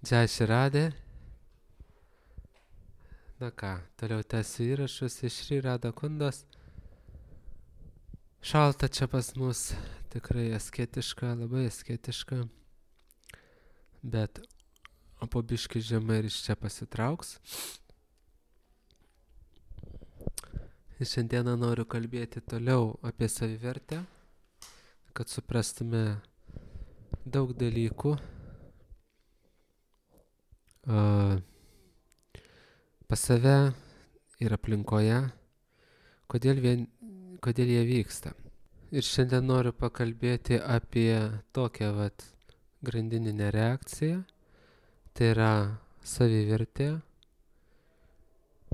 Jai Širadė. Na ką, toliau tęsiu įrašus iš Šri Radha Kundos. Šalta čia pas mus, tikrai asketiška, labai asketiška. Bet po biškį žemai ir iš čia pasitrauks. Ir šiandieną noriu kalbėti toliau apie savivertę, kad suprastume daug dalykų. Pas save ir aplinkoje, kodėl jie vyksta. Ir šiandien noriu pakalbėti apie tokią grandininę reakciją. Tai yra savivertė,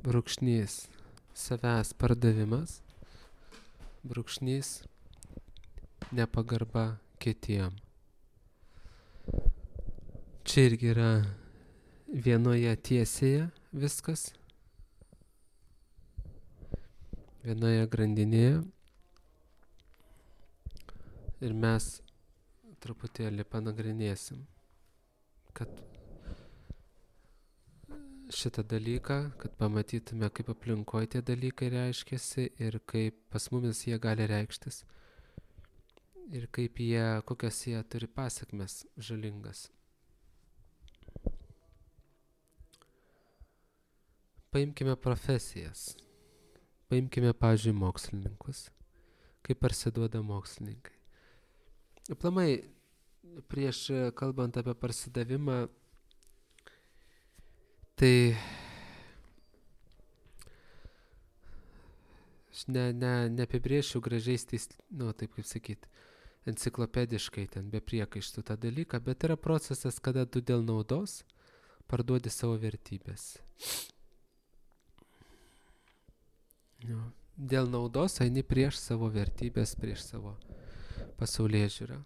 brūkšnys savęs pardavimas, brūkšnys nepagarba kitiem. Čia irgi yra vienoje tiesėje viskas, vienoje grandinėje. Ir mes truputėlį panagrinėsim, kad šitą dalyką, kad pamatytume, kaip aplinkoje tie dalykai reiškiasi ir kaip pas mumis jie gali reikštis ir kokias jie turi pasekmes žalingas. Paimkime profesijas. Paimkime, pavyzdžiui, mokslininkus. Kaip parsiduoda mokslininkai. Aplamai, prieš kalbant apie parsidavimą, tai aš neapibrėšiu gražiais taip kaip sakyt, enciklopediškai ten be priekaištų tą dalyką, bet yra procesas, kada tu dėl naudos parduodi savo vertybės. Dėl naudos eini prieš savo vertybės, prieš savo pasaulėžiūrą.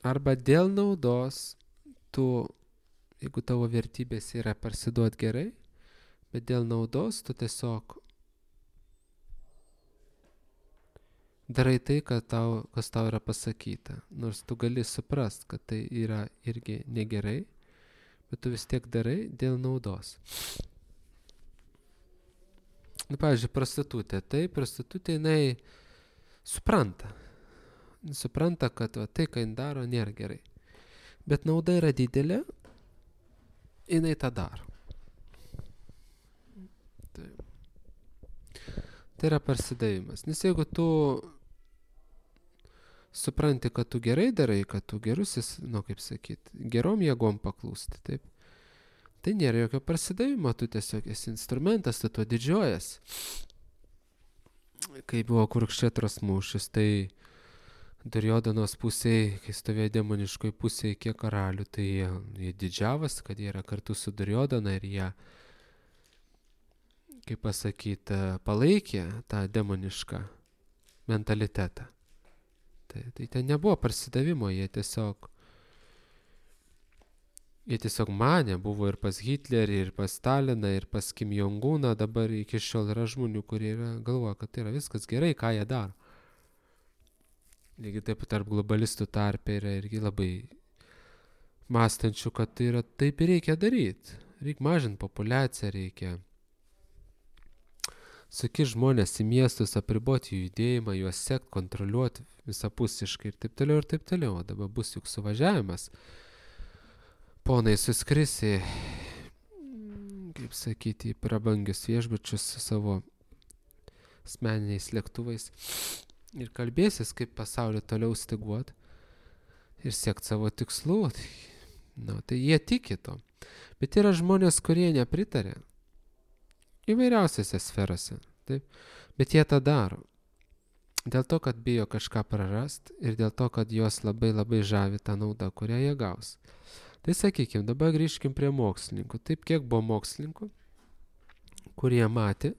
Arba dėl naudos jeigu tavo vertybės yra parsiduot gerai, bet dėl naudos tu tiesiog darai tai, kas tau yra pasakyta. Nors tu gali suprast, kad tai yra irgi negerai, bet tu vis tiek darai dėl naudos. Pavyzdžiui, prostitutė. Tai prostitutė jinai supranta, kad tai, ką jin daro, nėra gerai. Bet nauda yra didelė, jinai tą daro. Tai yra parsidavimas. Nes jeigu tu supranti, kad tu gerai darai, kad tu gerusis, kaip sakyt, gerom jėgom paklūsti, taip, tai nėra jokio parsidavimo, tu tiesiog esi instrumentas, tu tuo didžiuojas. Kai buvo Kurukšetros mūšis, tai Durjodanos pusėje, kai stovėjo demoniškoj pusėje kiek karalių, tai jie didžiavosi, kad jie yra kartu su Duryodana ir jie, kaip pasakyti, palaikė tą demonišką mentalitetą. Tai ten nebuvo parsidavimo, jie tiesiog manė, buvo ir pas Hitlerį, ir pas Staliną, ir pas Kim Jong-uną, dabar iki šiol yra žmonių, kurie galvoja, kad tai yra viskas gerai, ką jie daro. Lygiai taip tarp globalistų tarpe yra irgi labai mąstančių, kad tai yra taip ir reikia daryti. Reikia mažinti populiaciją, reikia sukišti žmonės į miestus, apriboti jų judėjimą, juos sekti, kontroliuoti visapusiškai ir taip toliau ir taip toliau. O dabar bus juk suvažiavimas. Ponai suskrisi, kaip sakyti, į prabangius viešbučius su savo asmeniniais lėktuvais ir kalbėsis, kaip pasaulį toliau styguot ir siekti savo tikslų. Tai jie tiki to. Bet yra žmonės, kurie nepritarė įvairiausiose sferose. Taip? Bet jie tą daro. Dėl to, kad bijo kažką prarast ir dėl to, kad juos labai labai žavi tą naudą, kurią jie gaus. Tai sakykime, dabar grįžkim prie mokslininkų. Taip, kiek buvo mokslininkų, kurie matė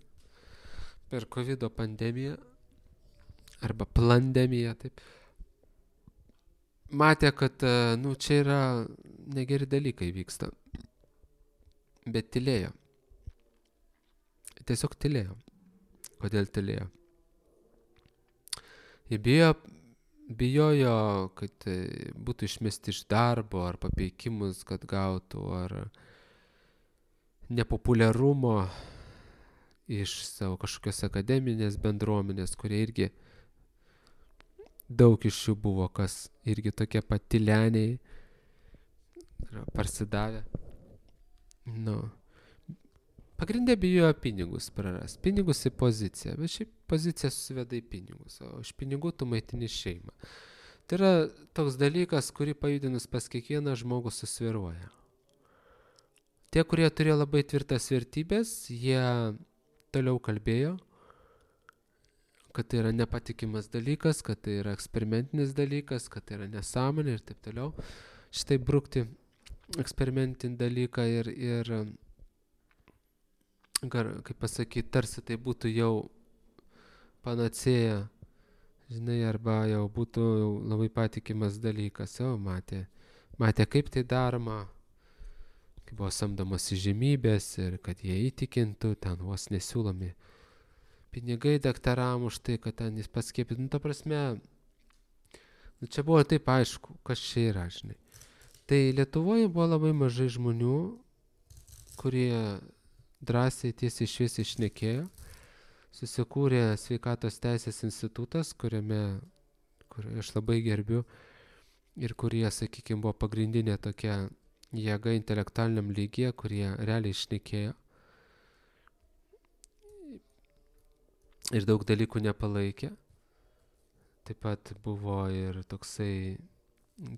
per COVID pandemiją arba plandemiją, taip, matė, kad čia yra negeri dalykai vyksta, bet tylėjo. Tiesiog tylėjo. Kodėl tylėjo? Jie bijo bijojo, kad būtų išmesti iš darbo, ar papeikimus, kad gautų, ar nepopuliarumo iš savo kažkokios akademinės bendruomenės, kurie irgi daug iš jų buvo, kas irgi tokie patyleniai, parsidavę. Nu, pagrindė bijojo pinigus praras, pinigus į poziciją, bet šiaip pozicija susiveda į pinigus, o iš pinigų tu maitini šeimą. Tai yra toks dalykas, kurį pajudinus pas kiekvieną žmogų susviruoja. Tie, kurie turėjo labai tvirtas vertybės, jie toliau kalbėjo, kad tai yra nepatikimas dalykas, kad tai yra eksperimentinis dalykas, kad tai yra nesąmonė ir taip toliau. Štai brukti eksperimentinį dalyką ir kaip pasakyti, tarsi tai būtų jau panacėja, žinai, arba jau būtų labai patikimas dalykas. Jau matė kaip tai daroma, kaip buvo samdomos įžymybės ir kad jie įtikintų, ten vos nesiūlomi pinigai daktaram už tai, kad ten jis paskiepytų. Nu, ta prasme, čia buvo taip aišku, kas čia yra, žinai. Tai Lietuvoje buvo labai mažai žmonių, kurie drąsiai tiesiai šviesiai šnekėjo. Susikūrė sveikatos teisės institutas, kurį aš labai gerbiu ir kurie, sakykime, buvo pagrindinė tokia jėga intelektualiniam lygyje, kurie realiai šnekėjo. Ir daug dalykų nepalaikė. Taip pat buvo ir toksai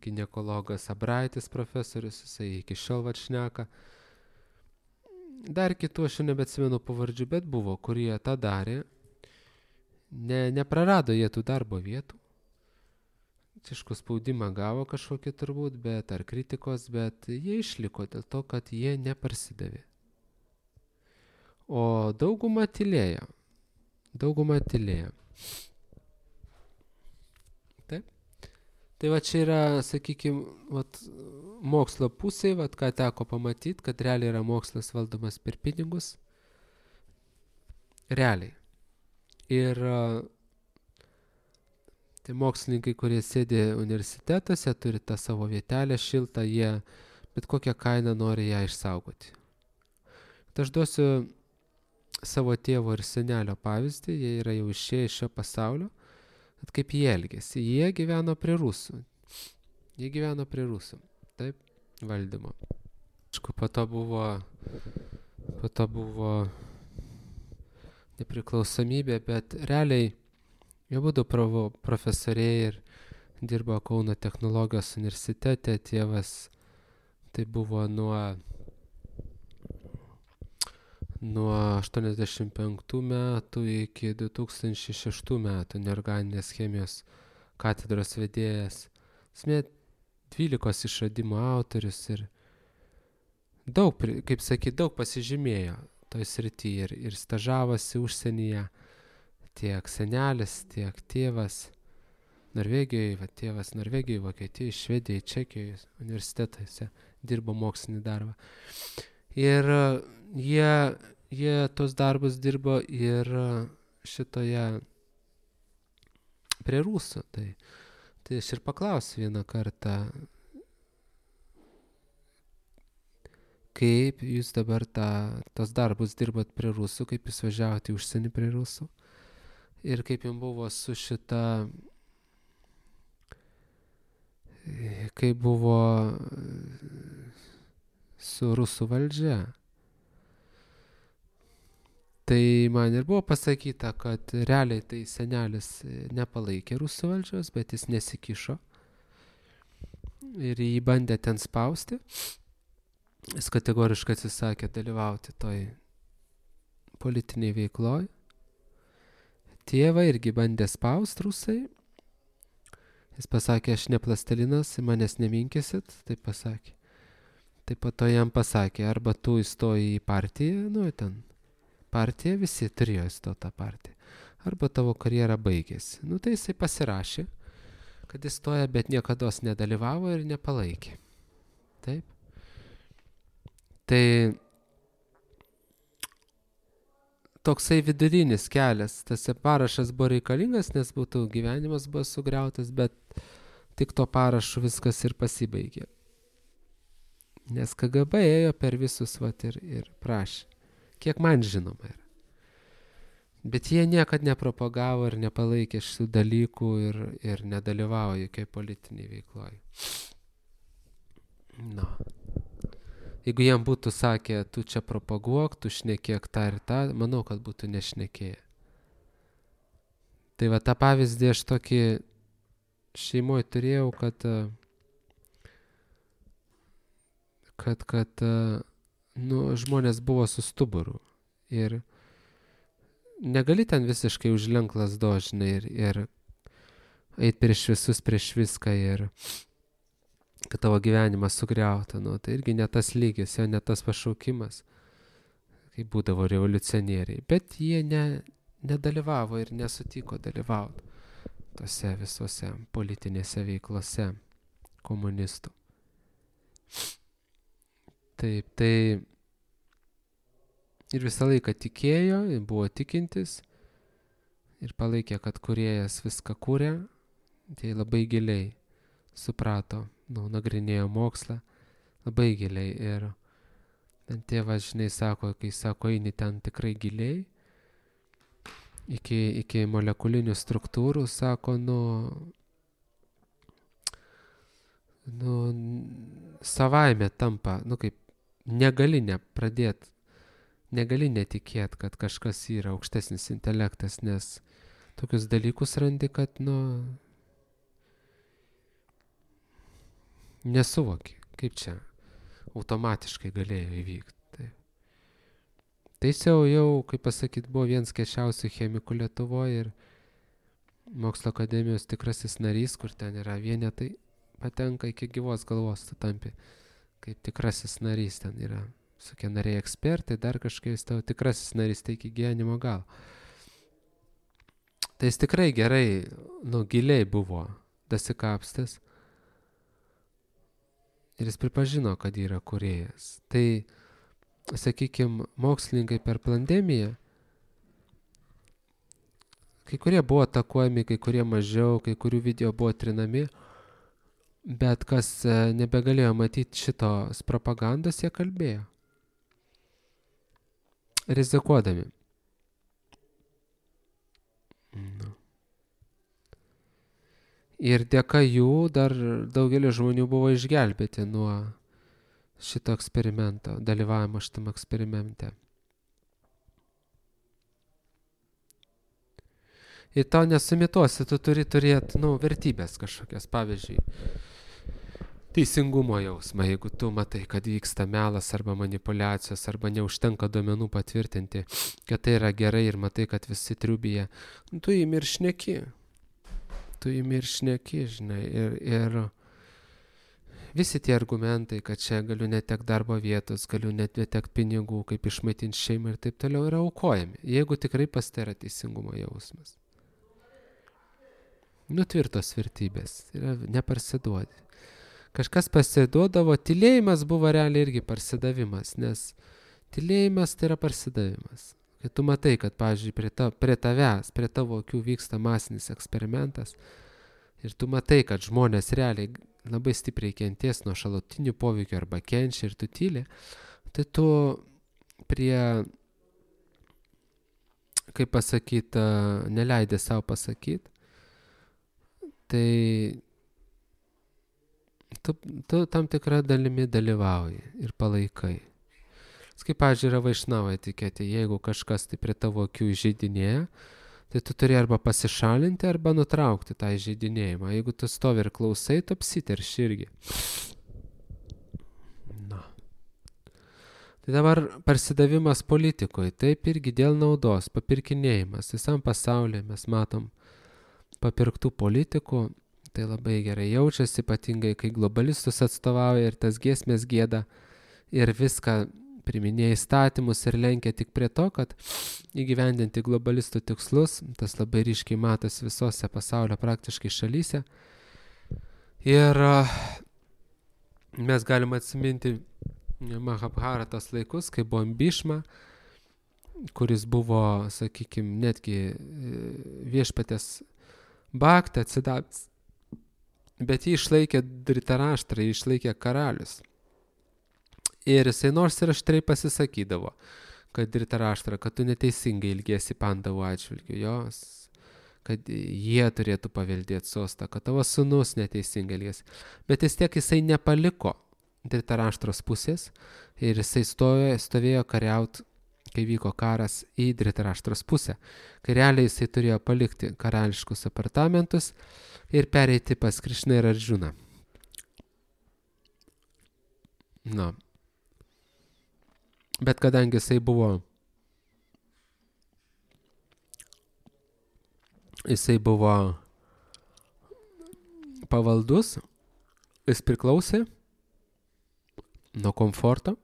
ginekologas Abraitis profesorius, jisai iki šiol šneka. Dar kitų aš nebeatsimenu pavardžių, bet buvo, kurie tą darė. Neprarado jie tų darbo vietų. Aišku, spaudimą gavo kažkokį turbūt, bet ar kritikos, bet jie išliko dėl to, kad jie neparsidavė. O dauguma tylėjo. Taip. Tai va čia yra, sakykime, mokslo pusė, ką teko pamatyti, kad realiai yra mokslas valdomas per pinigus. Realiai. Ir tai mokslininkai, kurie sėdi universitetuose, turi tą savo vietelę šiltą, jie bet kokią kainą nori ją išsaugoti. Tai aš duosiu savo tėvo ir senelio pavyzdį, jie yra jau išėję iš šio pasaulio, kad kaip jie elgėsi. Jie gyveno prie rusų. Taip, valdymo. Aišku, po to buvo nepriklausomybė, bet realiai jie būdų profesoriai ir dirbo Kauno technologijos universitete. Tėvas tai buvo nuo 85 metų iki 2006 metų neorganinės chemijos katedros vedėjas. 12 išradimų autorius ir daug, kaip sakyti, daug pasižymėjo toj srityje ir stažavosi užsienyje. Tiek senelis, tiek tėvas Norvegijoje, tėvas Norvegijoje, Vokietijoje, Švedijoje, Čekijoje universitetuose dirbo mokslinį darbą. Ir jie tos darbus dirbo ir šitoje prie rusų. Tai aš ir paklausiu vieną kartą, kaip jūs dabar tos darbus dirbat prie rusų, kaip jūs važiavote į užsienį prie rusų ir kaip jums buvo su šita, kaip buvo su rusų valdžia. Tai man ir buvo pasakyta, kad realiai tai senelis nepalaikė rusų valdžios, bet jis nesikišo ir jį bandė ten spausti. Jis kategoriškai atsisakė dalyvauti toj politiniai veikloj. Tėvą irgi bandė spausti rusai. Jis pasakė, aš ne plastilinas, manęs neminkysit, taip pasakė. Taip pat to jam pasakė, arba tu įstoji į partiją, ten partija, visi turėjo įstoti tą partiją, arba tavo karjera baigėsi. Tai jisai pasirašė, kad įstoja, bet niekados nedalyvavo ir nepalaikė. Taip. Tai toksai vidurinis kelias. Tas parašas buvo reikalingas, nes būtų gyvenimas buvo sugriautas, bet tik to parašu viskas ir pasibaigė. Nes KGB ėjo per visus ir prašė. Kiek man žinoma yra. Bet jie niekad nepropagavo ir nepalaikė šitų dalykų ir nedalyvavo jokioj politiniai veikloj. No. Jeigu jiem būtų sakę, tu čia propaguok, tu šnekėk tą ir tą, manau, kad būtų nešnekėję. Tai va, tą pavyzdį aš tokį šeimoje turėjau, kad žmonės buvo su stuburu. Ir negali ten visiškai užlenkt lazdos, žinai, ir eit prieš visus, prieš viską ir kad tavo gyvenimas sugriauta. Tai irgi ne tas lygis, jo ne tas pašaukimas, kaip būdavo revoliucionieriai. Bet jie nedalyvavo ir nesutiko dalyvauti tose visose politinėse veiklose komunistų. Taip, tai ir visą laiką tikėjo, buvo tikintis ir palaikė, kad kūrėjas viską kūrė, tai labai giliai suprato, nagrinėjo mokslą, labai giliai. Ir tėvas, žinai, sako, kai sako, eini ten tikrai giliai, iki molekulinių struktūrų, sako, savaime tampa, kaip negali nepradėti, negali netikėti, kad kažkas yra aukštesnis intelektas, nes tokius dalykus randi, kad, nesuvoki, kaip čia automatiškai galėjo įvykti. Tai jau, kaip pasakyt, buvo vienas keisčiausių chemikų Lietuvoje ir Mokslo akademijos tikrasis narys, kur ten yra vienetai, patenka iki gyvos galvos, tu tampi kaip tikrasis narys, ten yra visokie nariai ekspertai, dar kažkaip tavo tikrasis narys, tai iki gyvenimo galo. Tai jis tikrai gerai, giliai buvo dasikapstęs ir jis pripažino, kad yra kūrėjas. Tai, sakykime, mokslininkai per pandemiją, kai kurie buvo atakuojami, kai kurie mažiau, kai kurių video buvo trinami, bet kas nebegalėjo matyti šitos propagandos, jie kalbėjo. Rizikuodami. Ir dėka jų dar daugelis žmonių buvo išgelbėti nuo šito eksperimento, dalyvavimo šitam eksperimente. Ir tau nesumituosi, tu turi turėti, vertybės kažkokias, pavyzdžiui, teisingumo jausmą, jeigu tu matai, kad vyksta melas arba manipulacijos, arba neužtenka duomenų patvirtinti, kad tai yra gerai ir matai, kad visi triubėje, tu imi ir šneki. Žinai, ir visi tie argumentai, kad čia galiu netekti darbo vietos, galiu netekti pinigų, kaip išmaitinti šeimą ir taip toliau, yra aukojami, jeigu tikrai pas tai yra teisingumo jausmas. Tvirtos vertybės, yra neparsiduodi. Kažkas parsiduodavo, tylėjimas buvo realiai irgi parsidavimas, nes tylėjimas tai yra parsidavimas. Kai tu matai, kad, pavyzdžiui, prie tavęs, prie tavo akių vyksta masinis eksperimentas ir tu matai, kad žmonės realiai labai stipriai kenties nuo šalutinių poveikių arba kenčia ir tu tyli, tai tu prie, kaip pasakyti, neleidė savo pasakyti, tai tu tam tikrą dalimi dalyvauji ir palaikai. Kaip, pavyzdžiui, yra Vaišnavo etiketė, jeigu kažkas tai prie tavo akių įžeidinėja, tai tu turi arba pasišalinti, arba nutraukti tą įžeidinėjimą. Jeigu tu stovi ir klausai, tu apsiterši irgi. Tai dabar parsidavimas politikoje, taip irgi dėl naudos, papirkinėjimas. Visam pasaulyje mes matom papirktų politikų, tai labai gerai jaučiasi, ypatingai kai globalistus atstovauja ir tas giesmės gieda ir viską priminėja įstatymus ir lenkia tik prie to, kad įgyvendinti globalistų tikslus, tas labai ryškiai matosi visose pasaulio praktiškai šalyse. Ir mes galim atsiminti Mahabharatos laikus, kai buvo Bhishma, kuris buvo, sakykime, netgi viešpatės baktą atsidavęs. Bet jį išlaikė Dhritarashtra, jį išlaikė karalius. Ir jisai nors ir aštriai pasisakydavo, kad Dhritarashtra, kad tu neteisingai ilgiesi Pandavų atžvilgiu, jos, kad jie turėtų paveldėti sostą, kad tavo sūnus neteisingai ilgiesi. Bet jisai nepaliko Dhritarashtros pusės ir jisai stovėjo kariauti, kai vyko karas į Dhritarashtros pusę. Kai realiai jisai turėjo palikti karališkus apartamentus ir pereiti pas Krišną ir Arjuną. Na. Bet kadangi jisai buvo pavaldus, jis priklausė nuo komforto,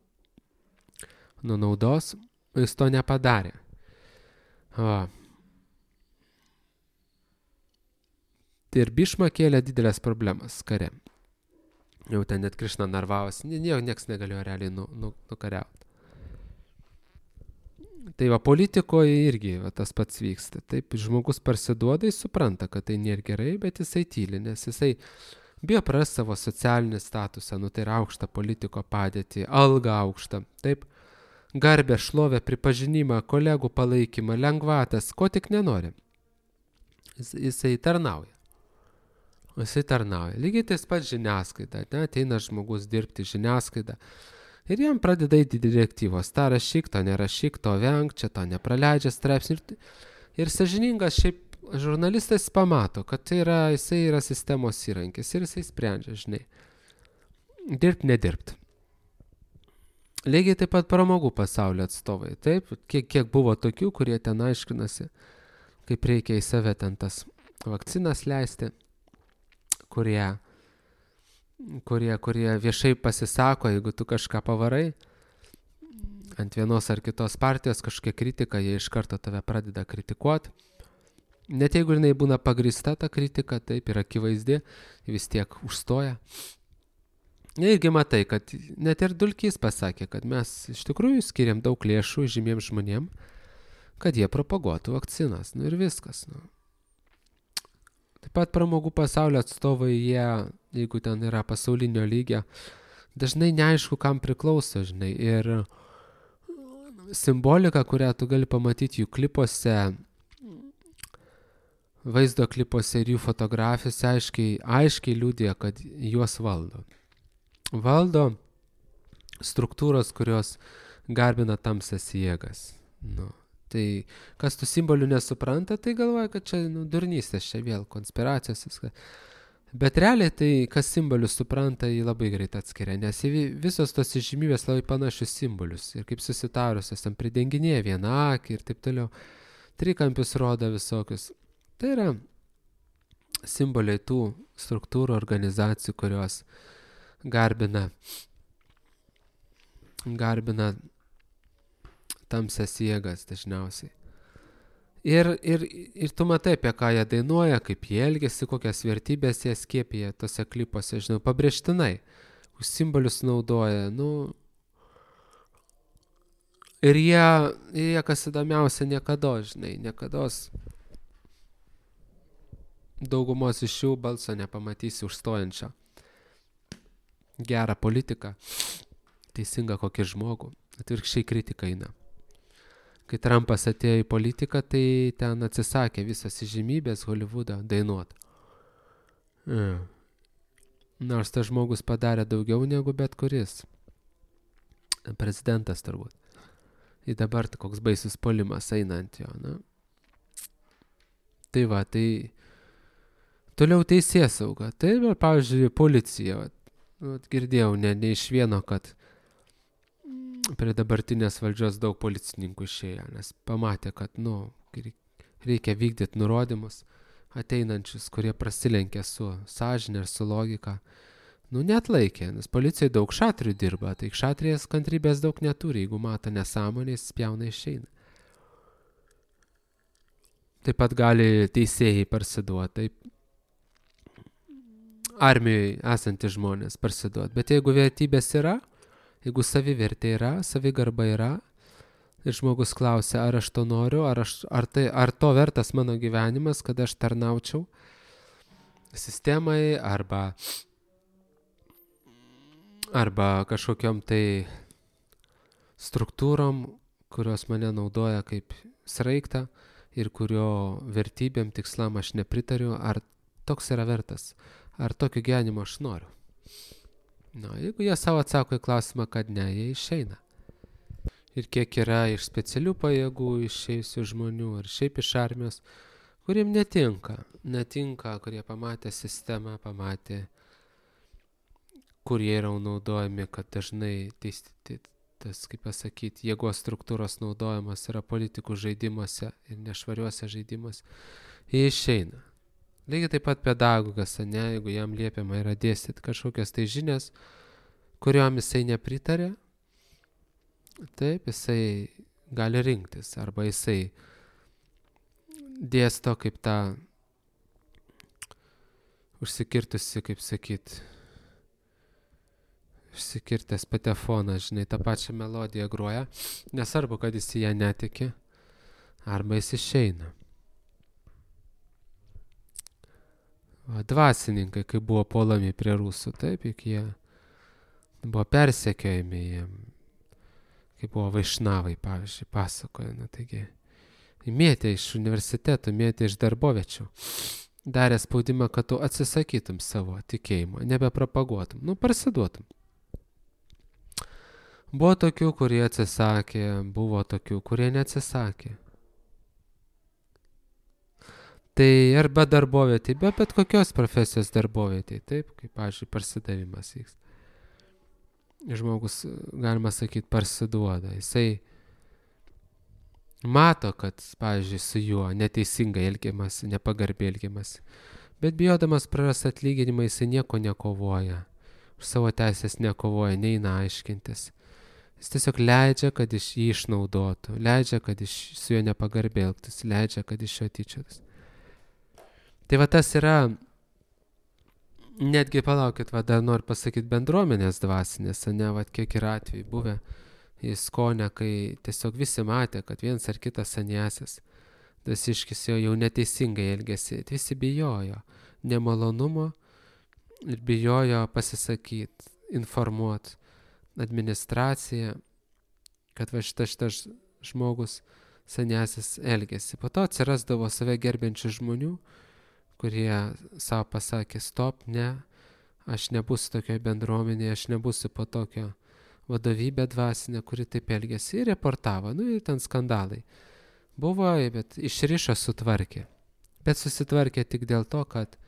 nuo naudos, jis to nepadarė. Ir Bhishma kėlė didelės problemas kare. Jau ten net Krišna narvavosi, nieks negalėjo realiai nukariauti. Tai va, politikoje irgi tas pats vyksta. Taip, žmogus parsiduoda, jis supranta, kad tai nėra gerai, bet jisai tyli, nes jisai bijo praras savo socialinį statusą, tai yra aukštą politiko padėtį, algą aukštą, taip, garbę, šlovę, pripažinimą, kolegų palaikymą, lengvatas, ko tik nenori. Jisai tarnauja. Lygiai tas pats žiniasklaida, ateina žmogus dirbti žiniasklaidą. Ir jam pradeda eiti direktyvos, tą rašyk, to nerašyk, to venk, čia to nepraleidžia straipsnį. Ir sąžiningas šiaip žurnalistas pamato, kad jisai yra sistemos įrankis ir jisai sprendžia, žinai, dirbt, nedirbt. Lygiai taip pat pramogų pasaulio atstovai, taip, kiek buvo tokių, kurie ten aiškinasi, kaip reikia į save ten tas vakcinas leisti, kurie viešai pasisako, jeigu tu kažką pavarai ant vienos ar kitos partijos kažkokia kritika, jie iš karto tave pradeda kritikuoti. Net jeigu jinai būna pagrįsta ta kritika, taip ir akivaizdi, vis tiek užstoja. Irgi matai, kad net ir Dulkys pasakė, kad mes iš tikrųjų skiriam daug lėšų žymiems žmonėm, kad jie propaguotų vakcinas. Ir viskas. Taip pat pramogų pasaulio atstovai, jeigu ten yra pasaulinio lygio, dažnai neaišku, kam priklauso, žinai. Ir simbolika, kurią tu gali pamatyti jų klipuose, vaizdo klipuose ir jų fotografijose, aiškiai liudija, kad juos valdo. Valdo struktūros, kurios garbina tamsias jėgas. Tai kas tų simbolių nesupranta, tai galvoja, kad čia durnystės, čia vėl konspiracijos. Bet realiai tai, kas simbolius supranta, jį labai greit atskiria, nes visos tos žymybės labai panašius simbolius. Ir kaip susitarusios, tam pridenginėja vieną akį ir taip toliau. Trikampius rodo visokius. Tai yra simboliai tų struktūrų, organizacijų, kurios garbina tamsias jėgas dažniausiai. Ir tu matai, apie ką jie dainuoja, kaip jie elgiasi, kokias vertybės jie skiepija tose klipuose, žinau, pabrėžtinai. Už simbolius naudoja, Ir jie kas įdomiausia, niekados daugumos iš jų balso nepamatysi užstojančio. Gerą politiką, teisingą kokį žmogų, atvirkščiai kritika eina. Kai Trumpas atėjo į politiką, tai ten atsisakė visas įžymybės Hollywoodo dainuoti. Nors tas žmogus padarė daugiau negu bet kuris. Prezidentas turbūt. Ir dabar koks baisus puolimas eina ant jo. Tai va, tai toliau teisėsauga. Tai, pavyzdžiui, policija. Girdėjau ne iš vieno, kad prie dabartinės valdžios daug policininkų išėjo, nes pamatė, kad, reikia vykdyti nurodymus ateinančius, kurie prasilenkia su sąžine ir su logika. Neatlaikė, nes policijai daug šatrių dirba, tai šatrijas kantrybės daug neturi, jeigu mato nesąmonės, spjauna išeina. Taip pat gali teisėjai parsiduoti, taip armijoje esantys žmonės parsiduoti, bet jeigu vertybės yra, jeigu savivertė yra, savigarba yra, Ir žmogus klausia, ar aš to noriu, ar to vertas mano gyvenimas, kad aš tarnaučiau sistemai arba kažkokiom tai struktūrom, kurios mane naudoja kaip sraigtą ir kurio vertybėm, tikslam aš nepritariu, ar toks yra vertas, ar tokio gyvenimo aš noriu. Jeigu jie savo atsako į klausimą, kad ne, jie išeina. Ir kiek yra iš specialių pajėgų išėjusių žmonių ir šiaip iš armijos, kuriem netinka, kurie pamatė sistemą, pamatė, kurie yra naudojami, kad dažnai tas, kaip pasakyti, jėgos struktūros naudojimas yra politikų žaidimuose ir nešvariuose žaidimuose, jie išeina. Lygiai taip pat pedagogas, jeigu jam liepiama yra dėstyti kažkokias tai žinias, kuriuom jisai nepritarė, taip, jisai gali rinktis, arba jisai dėsto kaip tą užsikirtusi, kaip sakyt, išsikirtęs patefonas, žinai, tą pačią melodiją groja, nesvarbu, kad jis į ją netiki, arba jis išeina. Dvasininkai, kai buvo puolami prie rusų, taip, juk jie buvo persekiojami, kai buvo vaišnavai, pavyzdžiui, pasakoja, taigi, mėtė iš universitetų, mėtė iš darboviečių, darė spaudimą, kad tu atsisakytum savo tikėjimo, nebepropaguotum, parsiduotum. Buvo tokių, kurie atsisakė, buvo tokių, kurie neatsisakė. Tai arba darbovietė, bet kokios profesijos darbovietė, taip, kaip, pavyzdžiui, parsidavimas vyks. Žmogus, galima sakyti, parsiduoda. Jisai mato, kad, pavyzdžiui, su juo neteisingai elgiamasi, nepagarbiai elgiamasi, bet bijodamas praras atlyginimą, jisai nieko nekovoja, už savo teisės nekovoja, neina aiškintis. Jis tiesiog leidžia, kad iš jį išnaudotų, leidžia, kad su juo nepagarbiai elgtųsi, leidžia, kad iš jo tyčiotus. Tai va tas yra, netgi palaukit, dar noriu pasakyti bendruomenės dvasinės, kiek yra atvejų buvę į Skonę, kai tiesiog visi matė, kad vienas ar kitas saniasis, dvasiškis jau neteisingai elgėsi, visi bijojo nemalonumo ir bijojo pasisakyti, informuoti administraciją, kad va šitas žmogus saniasis elgėsi. Po to atsirasdavo save gerbiančių žmonių, kurie savo pasakė, stop, ne, aš nebūsiu tokioje bendruomenėje, aš nebūsiu po tokio vadovybė dvasinė, kuri taip elgėsi, ir reportavo, ir ten skandalai. Buvo, bet išrišo, sutvarkė. Bet susitvarkė tik dėl to, kad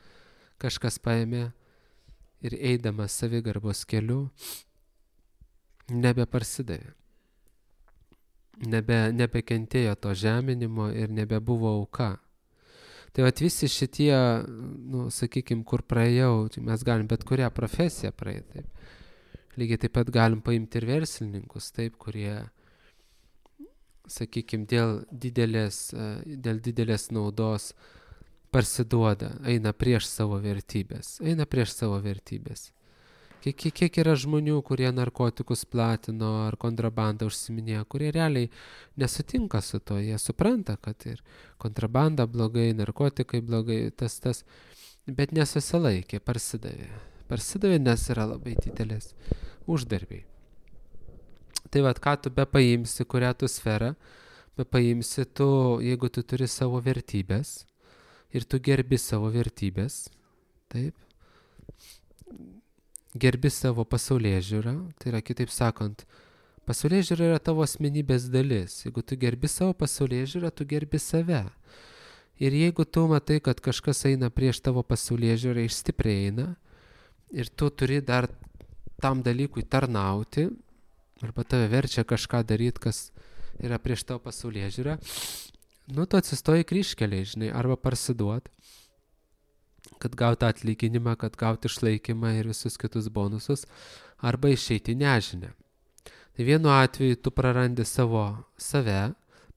kažkas paėmė ir eidamas savigarbos keliu, nebeparsidavė. Nebekentėjo to žeminimo ir nebebuvo auka. Tai visi šitie, sakykime, kur praėjau, mes galim bet kurią profesiją praeiti. Taip. Lygiai taip pat galim paimti ir verslininkus, taip, kurie, sakykime, dėl didelės naudos parsiduoda, eina prieš savo vertybės. Kiek yra žmonių, kurie narkotikus platino ar kontrabandą užsiminėjo, kurie realiai nesutinka su to, jie supranta, kad ir kontrabanda blogai, narkotikai blogai, tas, bet nesusilaikė, parsidavė. Parsidavė, nes yra labai didelės uždarbiai. Tai ką tu bepaimsi, kurią tu sferą, bepaimsi tu, jeigu tu turi savo vertybės ir tu gerbi savo vertybės, taip, gerbi savo pasaulėžiūrą, tai yra, kitaip sakant, pasaulėžiūra yra tavo asmenybės dalis. Jeigu tu gerbi savo pasaulėžiūrą, tu gerbi save. Ir jeigu tu matai, kad kažkas eina prieš tavo pasaulėžiūrą, stipriai eina, ir tu turi dar tam dalykui tarnauti, arba tave verčia kažką daryti, kas yra prieš tavo pasaulėžiūrą, tu atsistoji kryžkeliai, žinai, arba parsiduot, kad gauti atlyginimą, kad gauti išlaikymą ir visus kitus bonusus, arba išeiti nežinę. Tai vienu atveju tu prarandi save,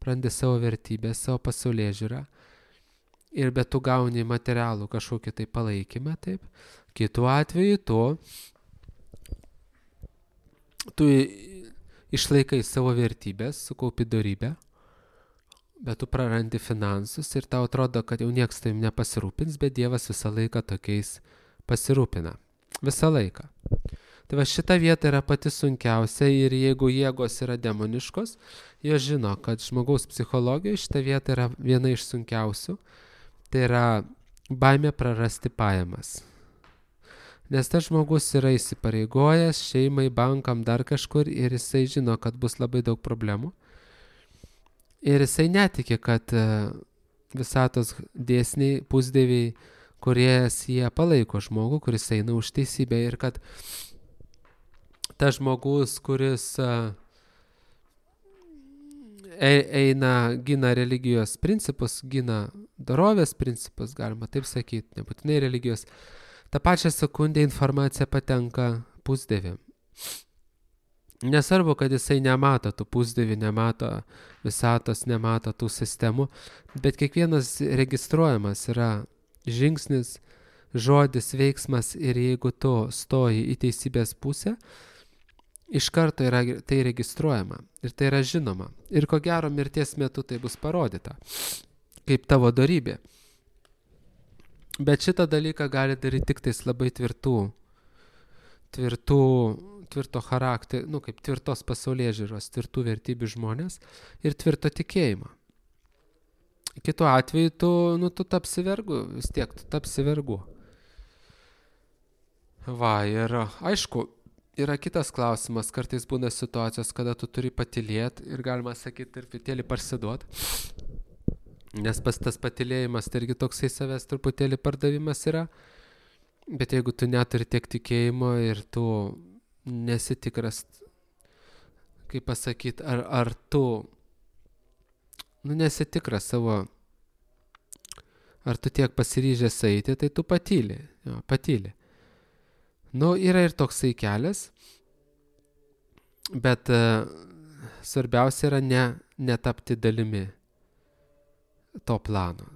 prarandi savo vertybę, savo pasaulėžiūrą, bet tu gauni materialų kažkokį tai palaikymą, taip. Kitu atveju tu išlaikai savo vertybės, sukaupi dorybę, bet tu prarandi finansus ir tau atrodo, kad jau nieks tavim nepasirūpins, bet Dievas visą laiką tokiais pasirūpina. Visą laiką. Tai va šita vieta yra pati sunkiausia ir jeigu jėgos yra demoniškos, jos žino, kad žmogaus psichologijoje šita vieta yra viena iš sunkiausių. Tai yra baimė prarasti pajamas. Nes tas žmogus yra įsipareigojęs šeimai, bankam, dar kažkur ir jisai žino, kad bus labai daug problemų. Ir jisai netiki, kad visatos dėsniai, pusdieviai, kuriejas jie palaiko žmogų, kuris eina už teisybę ir kad tas žmogus, kuris eina, gina religijos principus, gina dorovės principus, galima taip sakyti, nebūtinai religijos, tą pačią sekundę informacija patenka pusdieviam. Nesvarbu, kad jisai nemato tų pusdievių, nemato visatos, nemato tų sistemų, bet kiekvienas registruojamas yra žingsnis, žodis, veiksmas ir jeigu tu stoji į teisybės pusę, iš karto yra tai registruojama ir tai yra žinoma. Ir ko gero mirties metu tai bus parodyta, kaip tavo dorybė. Bet šitą dalyką gali daryti tik tais labai tvirto charakterio, kaip tvirtos pasaulėžiūros, tvirtų vertybių žmonės ir tvirto tikėjimo. Kitu atveju tu tapsi vergu, vis tiek tu tapsi vergu. Va, ir aišku, yra kitas klausimas, kartais būna situacijos, kada tu turi patylėti ir galima sakyti, truputėlį parsiduot. Nes tas patylėjimas, tai irgi toksai savęs truputėlį pardavimas yra. Bet jeigu tu neturi tiek tikėjimo ir tu nesi tikras, kaip pasakyti, ar tu nesi tikras savo, ar tu tiek pasiryžęs eiti, tai tu patyli. Yra ir toksai kelias, bet svarbiausia yra netapti dalimi to plano.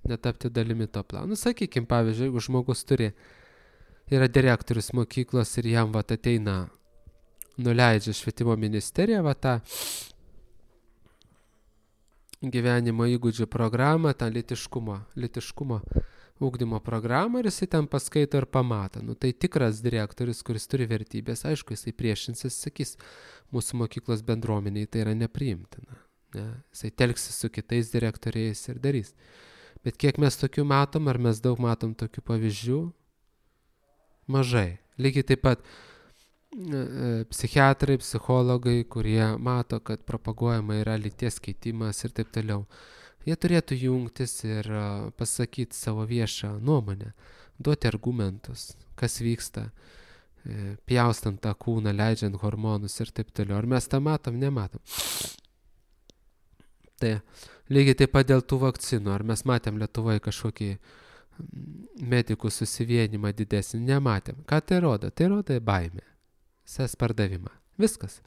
Netapti dalimi to plano. Sakykime, pavyzdžiui, jeigu žmogus yra direktorius mokyklos ir jam ateina, nuleidžia švietimo ministerija, tą gyvenimo įgūdžių programą, tą lytiškumo ugdymo programą ir jisai ten paskaito ir pamato. Tai tikras direktorius, kuris turi vertybės, aišku, jisai priešinsis, sakys, mūsų mokyklos bendruomeniai tai yra nepriimtina. Ne? Jisai telksis su kitais direktoriais ir darys. Bet kiek mes tokių matom, ar mes daug matom tokių pavyzdžių? Mažai. Lygiai taip pat psichiatrai, psichologai, kurie mato, kad propaguojama yra lyties keitimas ir taip toliau. Jie turėtų jungtis ir pasakyti savo viešą nuomonę, duoti argumentus, kas vyksta, pjaustant tą kūną, leidžiant hormonus ir taip toliau. Ar mes tą matom? Nematom. Tai lygiai taip pat dėl tų vakcinų. Ar mes matėm Lietuvoje kažkokį medikų susivienimą didesnį? Nematėm. Ką tai rodo? Tai rodo baimę. Ses pardavimą. Viskas.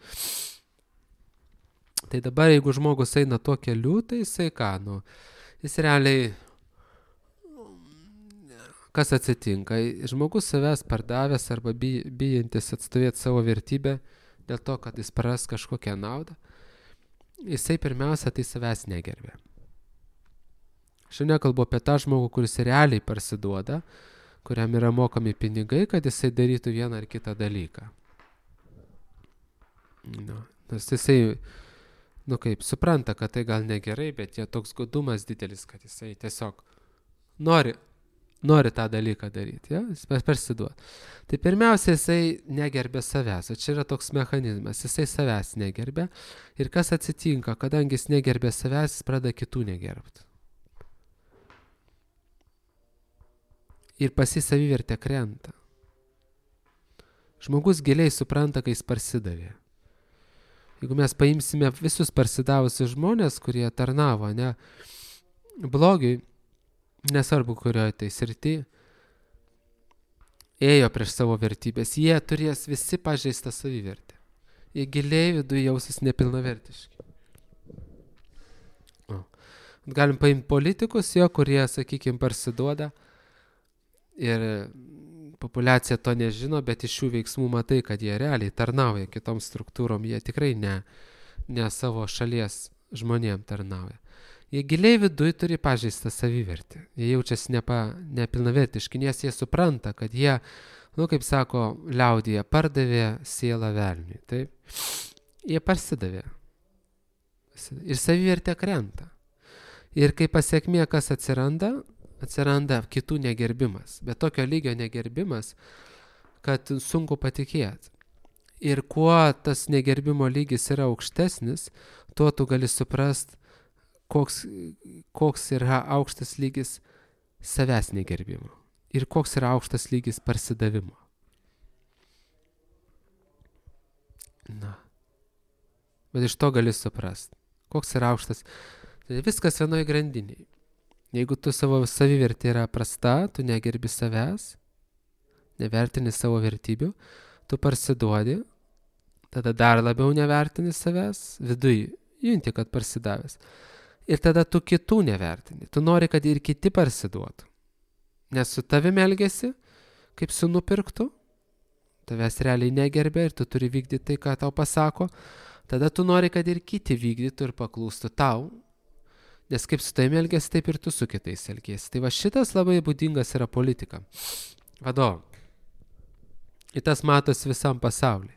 Tai dabar, jeigu žmogus eina tuo keliu, tai jisai ką? Jis realiai, kas atsitinka? Žmogus savęs pardavęs arba bijantis atstovėti savo vertybę dėl to, kad jis praras kažkokią naudą, jisai pirmiausia tai savęs negerbė. Aš nekalbu apie tą žmogų, kuris realiai parsiduoda, kuriam yra mokami pinigai, kad jisai darytų vieną ar kitą dalyką. Nes jisai, supranta, kad tai gal negerai, bet jie toks godumas didelis, kad jisai tiesiog nori tą dalyką daryti, jis parsiduoda. Tai pirmiausia, jisai negerbė savęs, o čia yra toks mechanizmas, jisai savęs negerbė ir kas atsitinka, kadangi jis negerbė savęs, jis pradeda kitų negerbti. Ir pas jį savivertė krenta. Žmogus giliai supranta, kai jis parsidavė. Jeigu mes paimsime visus parsidavusius žmonės, kurie tarnavo, blogiui, nesvarbu kurioje tai srity, ėjo prieš savo vertybės, jie turės visi pažeistą savivertę. Jie giliai viduje jausis nepilnavertiški. Galim paimti politikus, kurie, sakykime, parsiduoda ir populiacija to nežino, bet iš šių veiksmų matai, kad jie realiai tarnauja kitom struktūrom, jie tikrai ne savo šalies žmonėm tarnauja. Jie giliai viduj turi pažeistą savivertį, jie jaučiasi nepilnavertiški, nes jie supranta, kad jie, kaip sako liaudyje, pardavė sielą velniui, taip? Jie parsidavė ir savivertė krenta. Ir kai pasiekmė, kas atsiranda kitų negerbimas, bet tokio lygio negerbimas, kad sunku patikėti. Ir kuo tas negerbimo lygis yra aukštesnis, tuo tu gali suprast, koks yra aukštas lygis savęs negerbimo ir koks yra aukštas lygis parsidavimo. Bet iš to gali suprast, koks yra aukštas. Tai viskas vienoj grandiniai. Jeigu tu savo savivertė yra prasta, tu negerbi savęs, nevertini savo vertybių, tu parsiduodi, tada dar labiau nevertini savęs, viduj junti, kad parsidavęs. Ir tada tu kitų nevertini. Tu nori, kad ir kiti parsiduotų. Nes su tavimi elgiasi, kaip su nupirktu, tavęs realiai negerbė ir tu turi vykdyti tai, ką tau pasako. Tada tu nori, kad ir kiti vykdytų ir paklūstų tau. Nes kaip su tavimi elgiasi, taip ir tu su kitais elgiesi. Tai va šitas labai būdingas yra politika. Vadovų. Ir tas matosi visam pasauliu.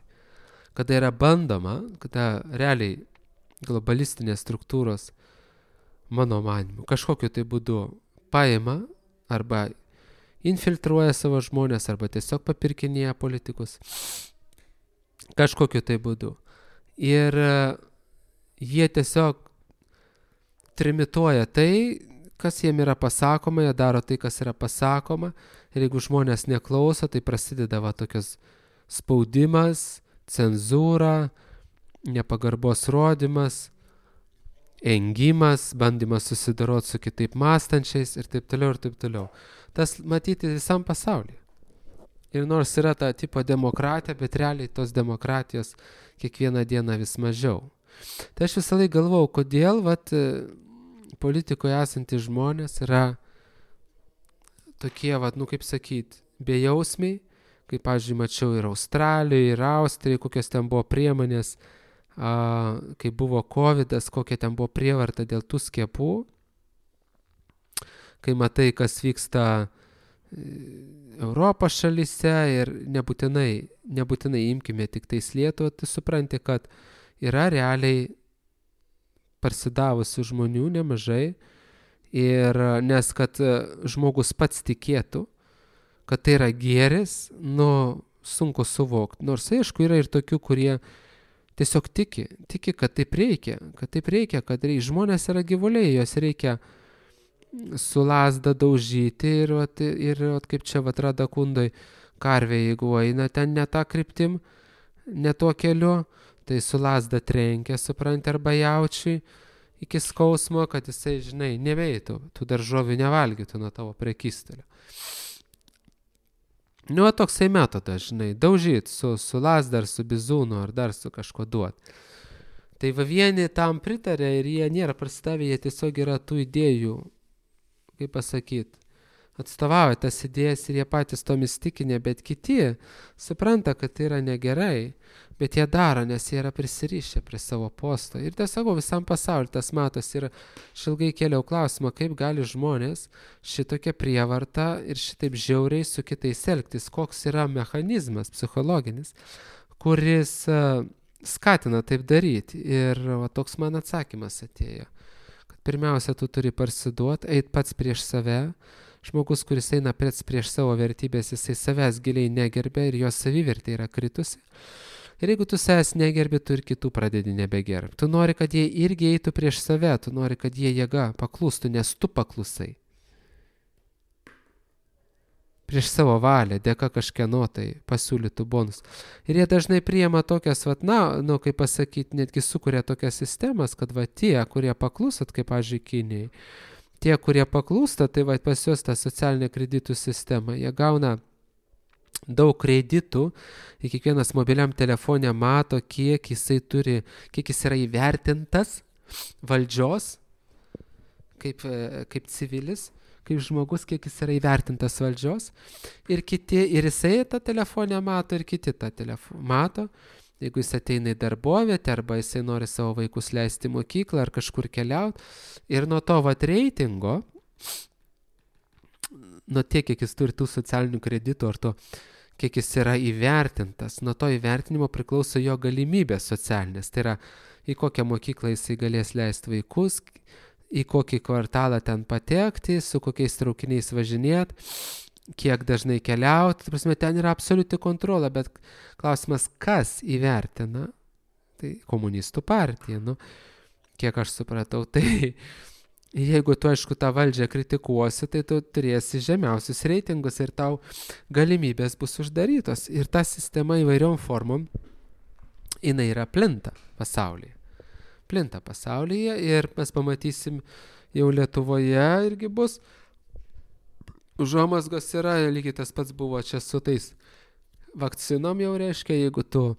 Kada yra bandoma, kada realiai globalistinės struktūros, mano manimu, kažkokiu tai būdu paima arba infiltruoja savo žmonės arba tiesiog papirkinėja politikus kažkokiu tai būdu. Ir jie tiesiog trimituoja tai, kas jiem yra pasakoma, jie daro tai, kas yra pasakoma. Ir jeigu žmonės neklauso, tai prasideda tokios spaudimas, cenzūra, nepagarbos rodymas, engimas, bandymas susidoroti su kitaip mąstančiais ir taip toliau ir taip toliau. Tas matyti visam pasaulyje. Ir nors yra ta tipo demokratija, bet realiai tos demokratijos kiekvieną dieną vis mažiau. Tai aš visą laiką galvau, kodėl politikoje esantys žmonės yra tokie, kaip sakyt, bejausmiai, kaip, pavyzdžiui, mačiau ir Australijoje, ir Austrijoje, kokios ten buvo priemonės, kai buvo covidas, kokia ten buvo prievarta dėl tų skiepų, kai matai, kas vyksta Europos šalyse ir nebūtinai imkime tik tais Lietuvą, tai supranti, kad yra realiai parsidavusių žmonių nemažai ir nes kad žmogus pats tikėtų, kad tai yra gėris, sunku suvokti. Nors aišku, yra ir tokių, kurie tiesiog tiki, kad taip reikia, kad žmonės yra gyvuliai, jos reikia su lazda daužyti ir kaip čia Rada Kundoj karvė, jeigu eina ten ne tą kryptim, ne tuo keliu, tai su lazda trenkia, supranti, arba jaučiui iki skausmo, kad jisai, žinai, nebeitų, tų daržovių nevalgytų nuo tavo prekystalio. Toksai metodas, žinai, daužyti su lazda ar su bizūnu ar dar su kažko duot. Tai vieni tam pritarė ir jie nėra prasidavę, jie tiesiog yra tų idėjų, kaip pasakyti, atstovauja tas idėjas ir jie patys tomis tikinė, bet kiti supranta, kad tai yra negerai, bet jie daro, nes jie yra prisirišę prie savo posto. Ir tiesiog visam pasauliu tas matos ir aš ilgai kėliau klausimą, kaip gali žmonės šitokia prievarta ir šitaip žiauriai su kitais elgtis, koks yra mechanizmas psichologinis, kuris skatina taip daryti. Ir toks man atsakymas atėjo, kad pirmiausia, tu turi parsiduoti, eit pats prieš save. Žmogus, kuris eina prieš savo vertybės, jisai savęs giliai negerbė ir jo savivertė yra kritusi. Ir jeigu tu savęs negerbi, tu ir kitų pradedi nebegerbti. Tu nori, kad jie irgi eitų prieš save, tu nori, kad jie jėga paklūstų, nes tu paklusai. Prieš savo valią, dėka kažkieno tai pasiūlytų bonus. Ir jie dažnai priima tokias, kaip pasakyti, netgi sukuria tokias sistemas, kad tie, kurie paklusat, kaip, pavyzdžiui, Kinijai, tie, kurie paklūsta, tai pas juos tą socialinę kreditų sistemą, jie gauna daug kreditų ir kiekvienas mobiliam telefone mato, kiek jis yra įvertintas valdžios kaip civilis, kaip žmogus, kiek jis yra įvertintas valdžios. Ir jisai tą telefonę mato, ir kiti tą telefoną mato. Jeigu jis ateina į darbovietę, arba jisai nori savo vaikus leisti į mokyklą, ar kažkur keliauti. Ir nuo to reitingo, nuo tiek, kiek jis turi tų socialinių kreditų, ar to, kiek jis yra įvertintas, nuo to įvertinimo priklauso jo galimybės socialinės. Tai yra, į kokią mokyklą jisai galės leisti vaikus, į kokį kvartalą ten patekti, su kokiais traukiniais važinėti, kiek dažnai keliauti. Ta prasme, ten yra absoliuti kontrolė, bet klausimas, kas įvertina? Tai komunistų partija, kiek aš supratau. Tai jeigu tu, aišku, tą valdžią kritikuosi, tai tu turėsi žemiausius reitingus ir tau galimybės bus uždarytos. Ir ta sistema įvairiom formom, jinai yra plinta pasaulyje. Ir mes pamatysim jau Lietuvoje irgi bus. Užuomazgos yra, lygiai tas pats buvo čia su tais vakcinom jau reiškia, jeigu tu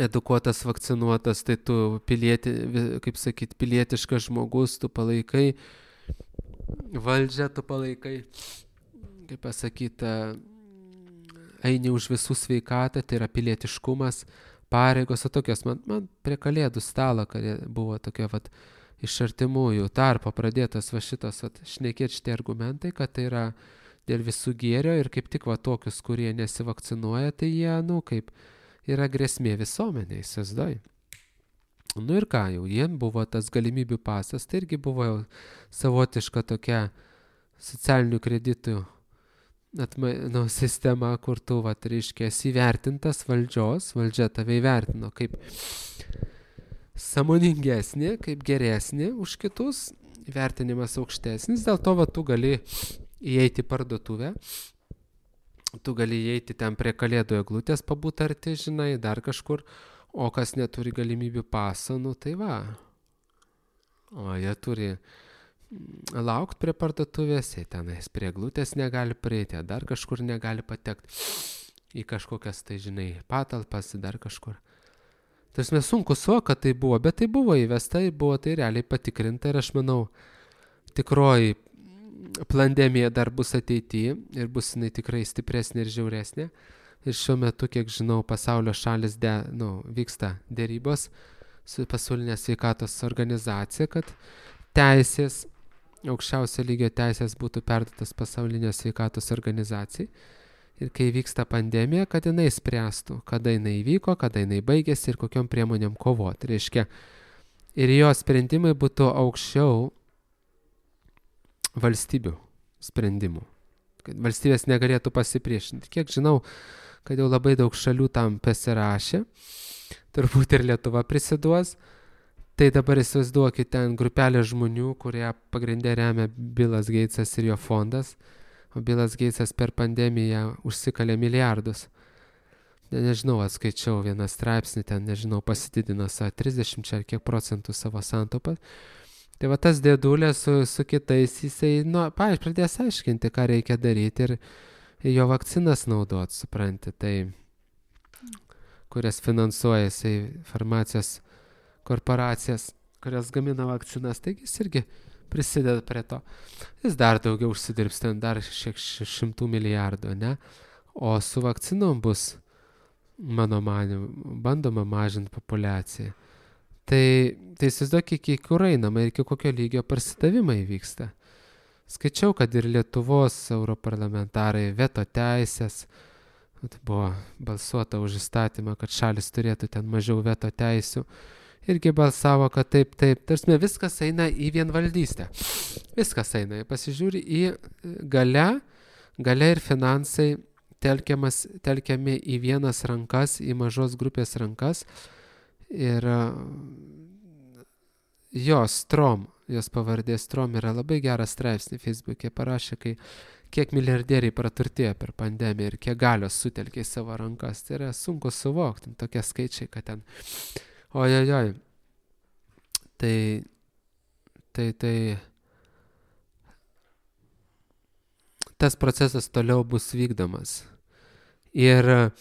edukuotas, vakcinuotas, tai tu pilietiškas žmogus, tu palaikai valdžią, tu palaikai, kaip pasakyta, eini už visų sveikatą, tai yra pilietiškumas, pareigos, o tokios, man prie kalėdų stalo, kad buvo tokia iš artimųjų tarpo pradėtas šitos šnekėti šitie argumentai, kad tai yra dėl visų gėrio ir kaip tik tokius, kurie nesivakcinuoja, tai jie, kaip yra grėsmė visuomeniai, įsivaizduoji. Ir ką jau, jiem buvo tas galimybių pasas, tai irgi buvo jau savotiška tokia socialinių kreditų sistema, kur tu, reiškia, esi įvertintas valdžia tave įvertino kaip sąmoningesnį, kaip geresnį už kitus, įvertinimas aukštesnis, dėl to tu gali įeiti į parduotuvę, tu gali įeiti ten prie kalėdų eglutės pabūt arti, žinai, dar kažkur, o kas neturi galimybių paso, tai va. O jie turi laukti prie parduotuvės, jie tenais prie eglutės negali prieiti, dar kažkur negali patekti į kažkokias, tai žinai, patalpas, dar kažkur. Tarsi sunku kad tai buvo, bet tai buvo įvesta, buvo tai realiai patikrinta ir aš manau, tikroji pandemija dar bus ateityje ir bus jinai tikrai stipresnė ir žiauresnė. Ir šiuo metu, kiek žinau, pasaulio šalis vyksta dėrybos su pasaulinė sveikatos organizacija, kad aukščiausio lygio teisės būtų perduotas pasaulinė sveikatos organizacijai. Ir kai vyksta pandemija, kad jinai spręstų, kada jinai įvyko, kada jinai baigėsi ir kokiom priemonėm kovoti. Reiškia, ir jo sprendimai būtų aukščiau valstybių sprendimų. Kad valstybės negalėtų pasipriešinti. Kiek žinau, kad jau labai daug šalių tam pasirašė, turbūt ir Lietuva prisiduos. Tai dabar įsivaizduokit ten grupelę žmonių, kurie pagrindė remia Billas Gatesas ir jo fondas, o Billas Gatesas per pandemiją užsikalė milijardus. Nežinau, atskaičiau vieną straipsnį, ten, pasididino 30 ar kiek procentų savo santaupą. Tai tas dėdulė su kitais, jisai, pavyzdžiui, pradės aiškinti, ką reikia daryti ir jo vakcinas naudot, supranti, tai, kurias finansuoja jisai farmacijos korporacijas, kurios gamina vakcinas, taigi jis irgi prisideda prie to. Jis dar daugiau užsidirbs, ten dar 100 milijardų, ne? O su vakcinom bus, mano manimu, bandoma mažinti populiaciją. Tai įsivaizduok, iki kur einama ir iki kokio lygio parsidavimai vyksta. Skaičiau, kad ir Lietuvos europarlamentarai veto teisės, buvo balsuota už įstatymą, kad šalis turėtų ten mažiau veto teisių. Irgi balsavo, kad taip, tarsi viskas eina į vienvaldystę. Viskas eina, pasižiūri į galia ir finansai telkiami į vienas rankas, į mažos grupės rankas. Ir jos pavardė Strom yra labai geras straipsnį Facebook'e parašė, kiek milijardieriai praturtėjo per pandemiją ir kiek galios sutelkė į savo rankas. Tai yra sunku suvokti, tokie skaičiai, kad ten ojojoj. Tai tas procesas toliau bus vykdomas. Ir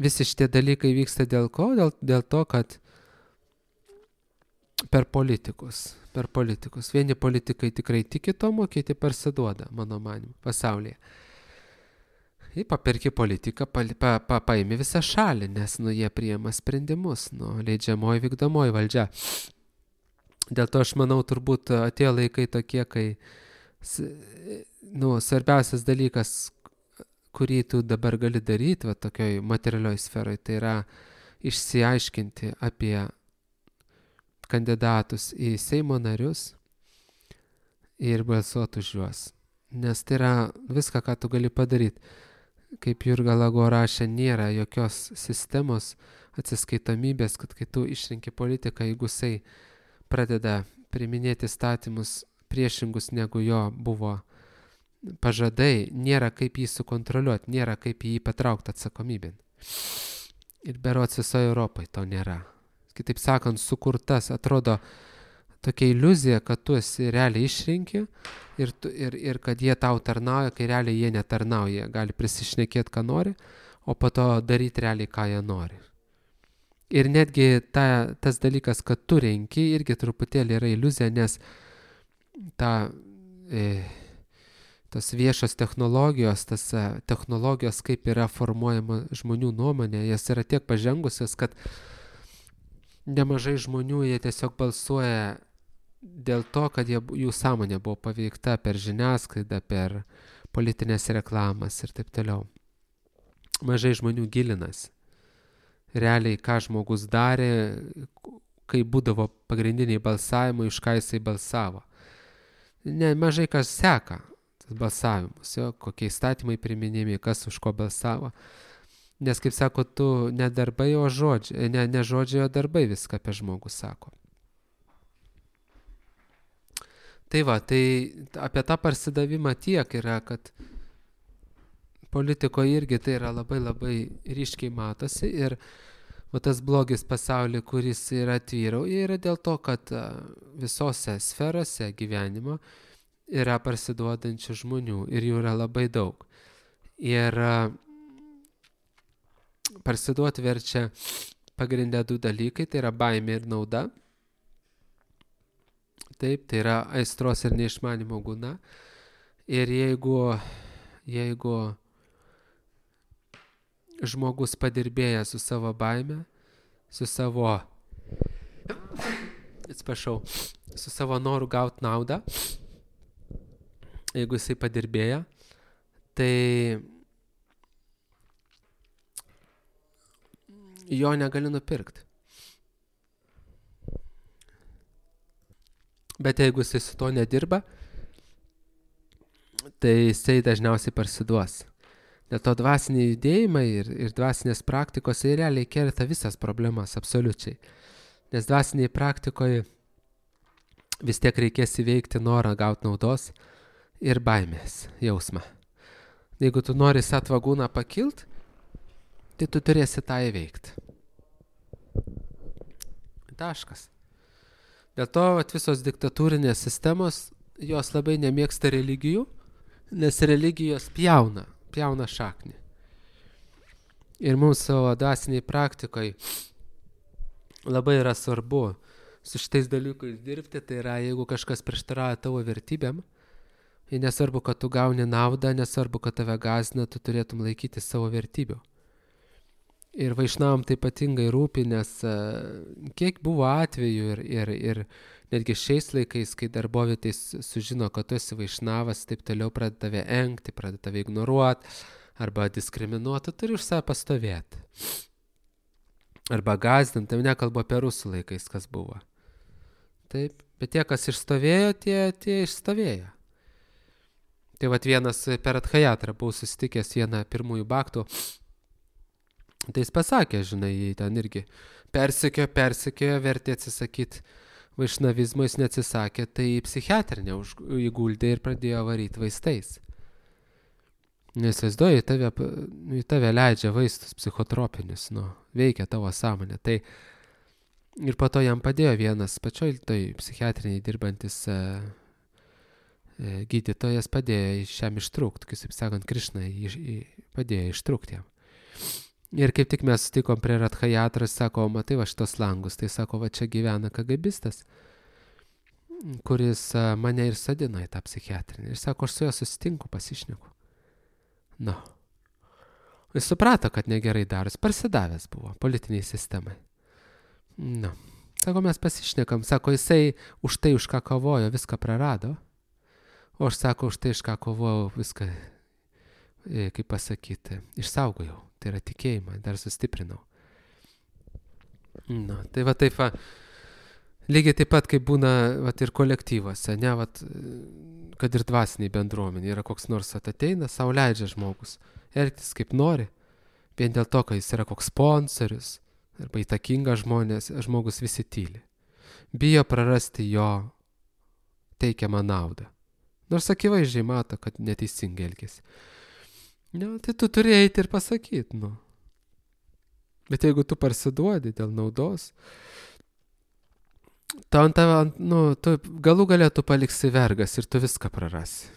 visi šitie dalykai vyksta dėl ko? Dėl to, kad per politikus. Vieni politikai tikrai tiki tomu, kiti parsiduoda, mano manimu, pasaulyje. Ir paperki politiką, paimi visą šalį, nes jie priima sprendimus, leidžiamoji vykdomoji valdžia. Dėl to aš manau, turbūt atėjo laikai tokie, kai svarbiausias dalykas, kurį tu dabar gali daryti, tokioj materialioj sferoj, tai yra išsiaiškinti apie kandidatus į Seimo narius ir balsuoti už juos. Nes tai yra viską, ką tu gali padaryti. Kaip Jurga Lago rašė, nėra jokios sistemos atsiskaitomybės, kad kai tu išrinki politiką, jeigu jisai pradeda priminėti įstatymus priešingus negu jo buvo pažadai, nėra kaip jį sukontroliuoti, nėra kaip jį patraukti atsakomybėn. Ir berods visoje Europoje to nėra. Kitaip sakant, sukurtas, atrodo tokia iliuzija, kad tu esi realiai išrinki ir kad jie tau tarnauja, kai realiai jie netarnauja. Gali prisišnekėti, ką nori, o po to daryti realiai, ką jie nori. Ir netgi tas dalykas, kad tu renki, irgi truputėlį yra iliuzija, nes tos viešos technologijos, technologijos, kaip yra formuojama žmonių nuomonė, jas yra tiek pažengusios, kad nemažai žmonių jie tiesiog balsuoja dėl to, kad jų sąmonė buvo paveikta per žiniasklaidą, per politinės reklamas ir taip toliau. Mažai žmonių gilinasi. Realiai, ką žmogus darė, kai būdavo pagrindiniai balsavimai, už ką jisai balsavo. Mažai kas seka tas balsavimus, kokie įstatymai priminimi, kas už ko balsavo. Nes, kaip sako, tu ne darbai, o žodžiai, ne žodžiai, o darbai viską apie žmogų sako. Tai apie tą parsidavimą tiek yra, kad politikoje irgi tai yra labai labai ryškiai matosi ir tas blogis pasaulyje, kuris yra tvyrauja, yra dėl to, kad visose sferose gyvenimo yra parsiduodančių žmonių ir jų yra labai daug. Ir parsiduoti verčia pagrindę du dalykai, tai yra baimė ir nauda. Taip, tai yra aistros ir neišmanimo guna. Ir jeigu žmogus padirbėja su savo baime, su savo noru gauti naudą, jeigu jisai padirbėja, tai jo negali nupirkti. Bet jeigu jisai su to nedirba, tai jisai dažniausiai parsiduos. Dėl to dvasiniai judėjimai ir dvasinės praktikos realiai kerta visas problemas, absoliučiai. Nes dvasiniai praktikoje vis tiek reikės įveikti norą gauti naudos ir baimės jausmą. Jeigu tu nori satvagūną pakilt, tai tu turėsi tą įveikti. Taškas. Dėl to visos diktatūrinės sistemos, jos labai nemėgsta religijų, nes religijos pjauna šaknį. Ir mums savo dvasiniai praktikai labai yra svarbu su šitais dalykais dirbti, tai yra, jeigu kažkas prieštarauja tavo vertybėm, ir nesvarbu, kad tu gauni naudą, nesvarbu, kad tave gąsdina, tu turėtum laikyti savo vertybių. Ir vaišnavam tai ypatingai rūpi, nes kiek buvo atvejų ir netgi šiais laikais, kai darbovietės sužino, kad tu esi vaišnavas, taip toliau pradeda tave engti, pradeda tave ignoruoti arba diskriminuoti, tu turi už save pastovėti. Arba gąsdinti, nekalbu apie rusų laikais, kas buvo. Taip, bet tie, kas išstovėjo, tie išstovėjo. Tai vienas per Adhajatrą buvau susitikęs vieną pirmųjų baktų. Tai jis pasakė, žinai, jį ten irgi persekiojo, vertė atsisakyti vaišnavizmo, jis neatsisakė, tai psichiatrinę įguldė ir pradėjo varyti vaistais. Nesvaizduoju, į tave leidžia vaistus psichotropinius, veikia tavo sąmonę. Tai ir po to jam padėjo vienas pačioj psichiatriniai dirbantis gydytojas padėjo iš jam ištrūkti, kaip sakant, Krišna padėjo ištrūkti jam. Ir kaip tik mes sutikom prie Radhajatras, sako, matai va šitos langus, tai sako, va čia gyvena KGBistas, kuris mane ir sadino į tą psichiatrinį. Ir sako, aš su juo susitinku, pasišneku. Nu. Jis suprato, kad negerai daros, parsidavęs buvo politiniai sistemai. Nu. Sako, mes pasišnekam, sako, jisai už tai, už ką kovojo, viską prarado. O aš sako, už tai, už ką kovojau, viską, kaip pasakyti, išsaugojau. Tai yra tikėjimą, dar sustiprinau. Nu, tai va taip, lygiai taip pat, kaip būna vat, ir kolektyvose, ne, vat, kad ir dvasiniai bendruomenė, yra koks nors ateina, sau leidžia žmogus elgtis kaip nori, vien dėl to, kad jis yra koks sponsorius, arba įtakingas žmogus visi tyli. Bijo prarasti jo teikiamą naudą. Nors akivaizdžiai mato, kad neteisingai elgiasi. Nu, tai tu turi eiti ir pasakyti, nu. Bet jeigu tu parsiduodi dėl naudos, tu galų galę tu paliksi vergas ir tu viską prarasi.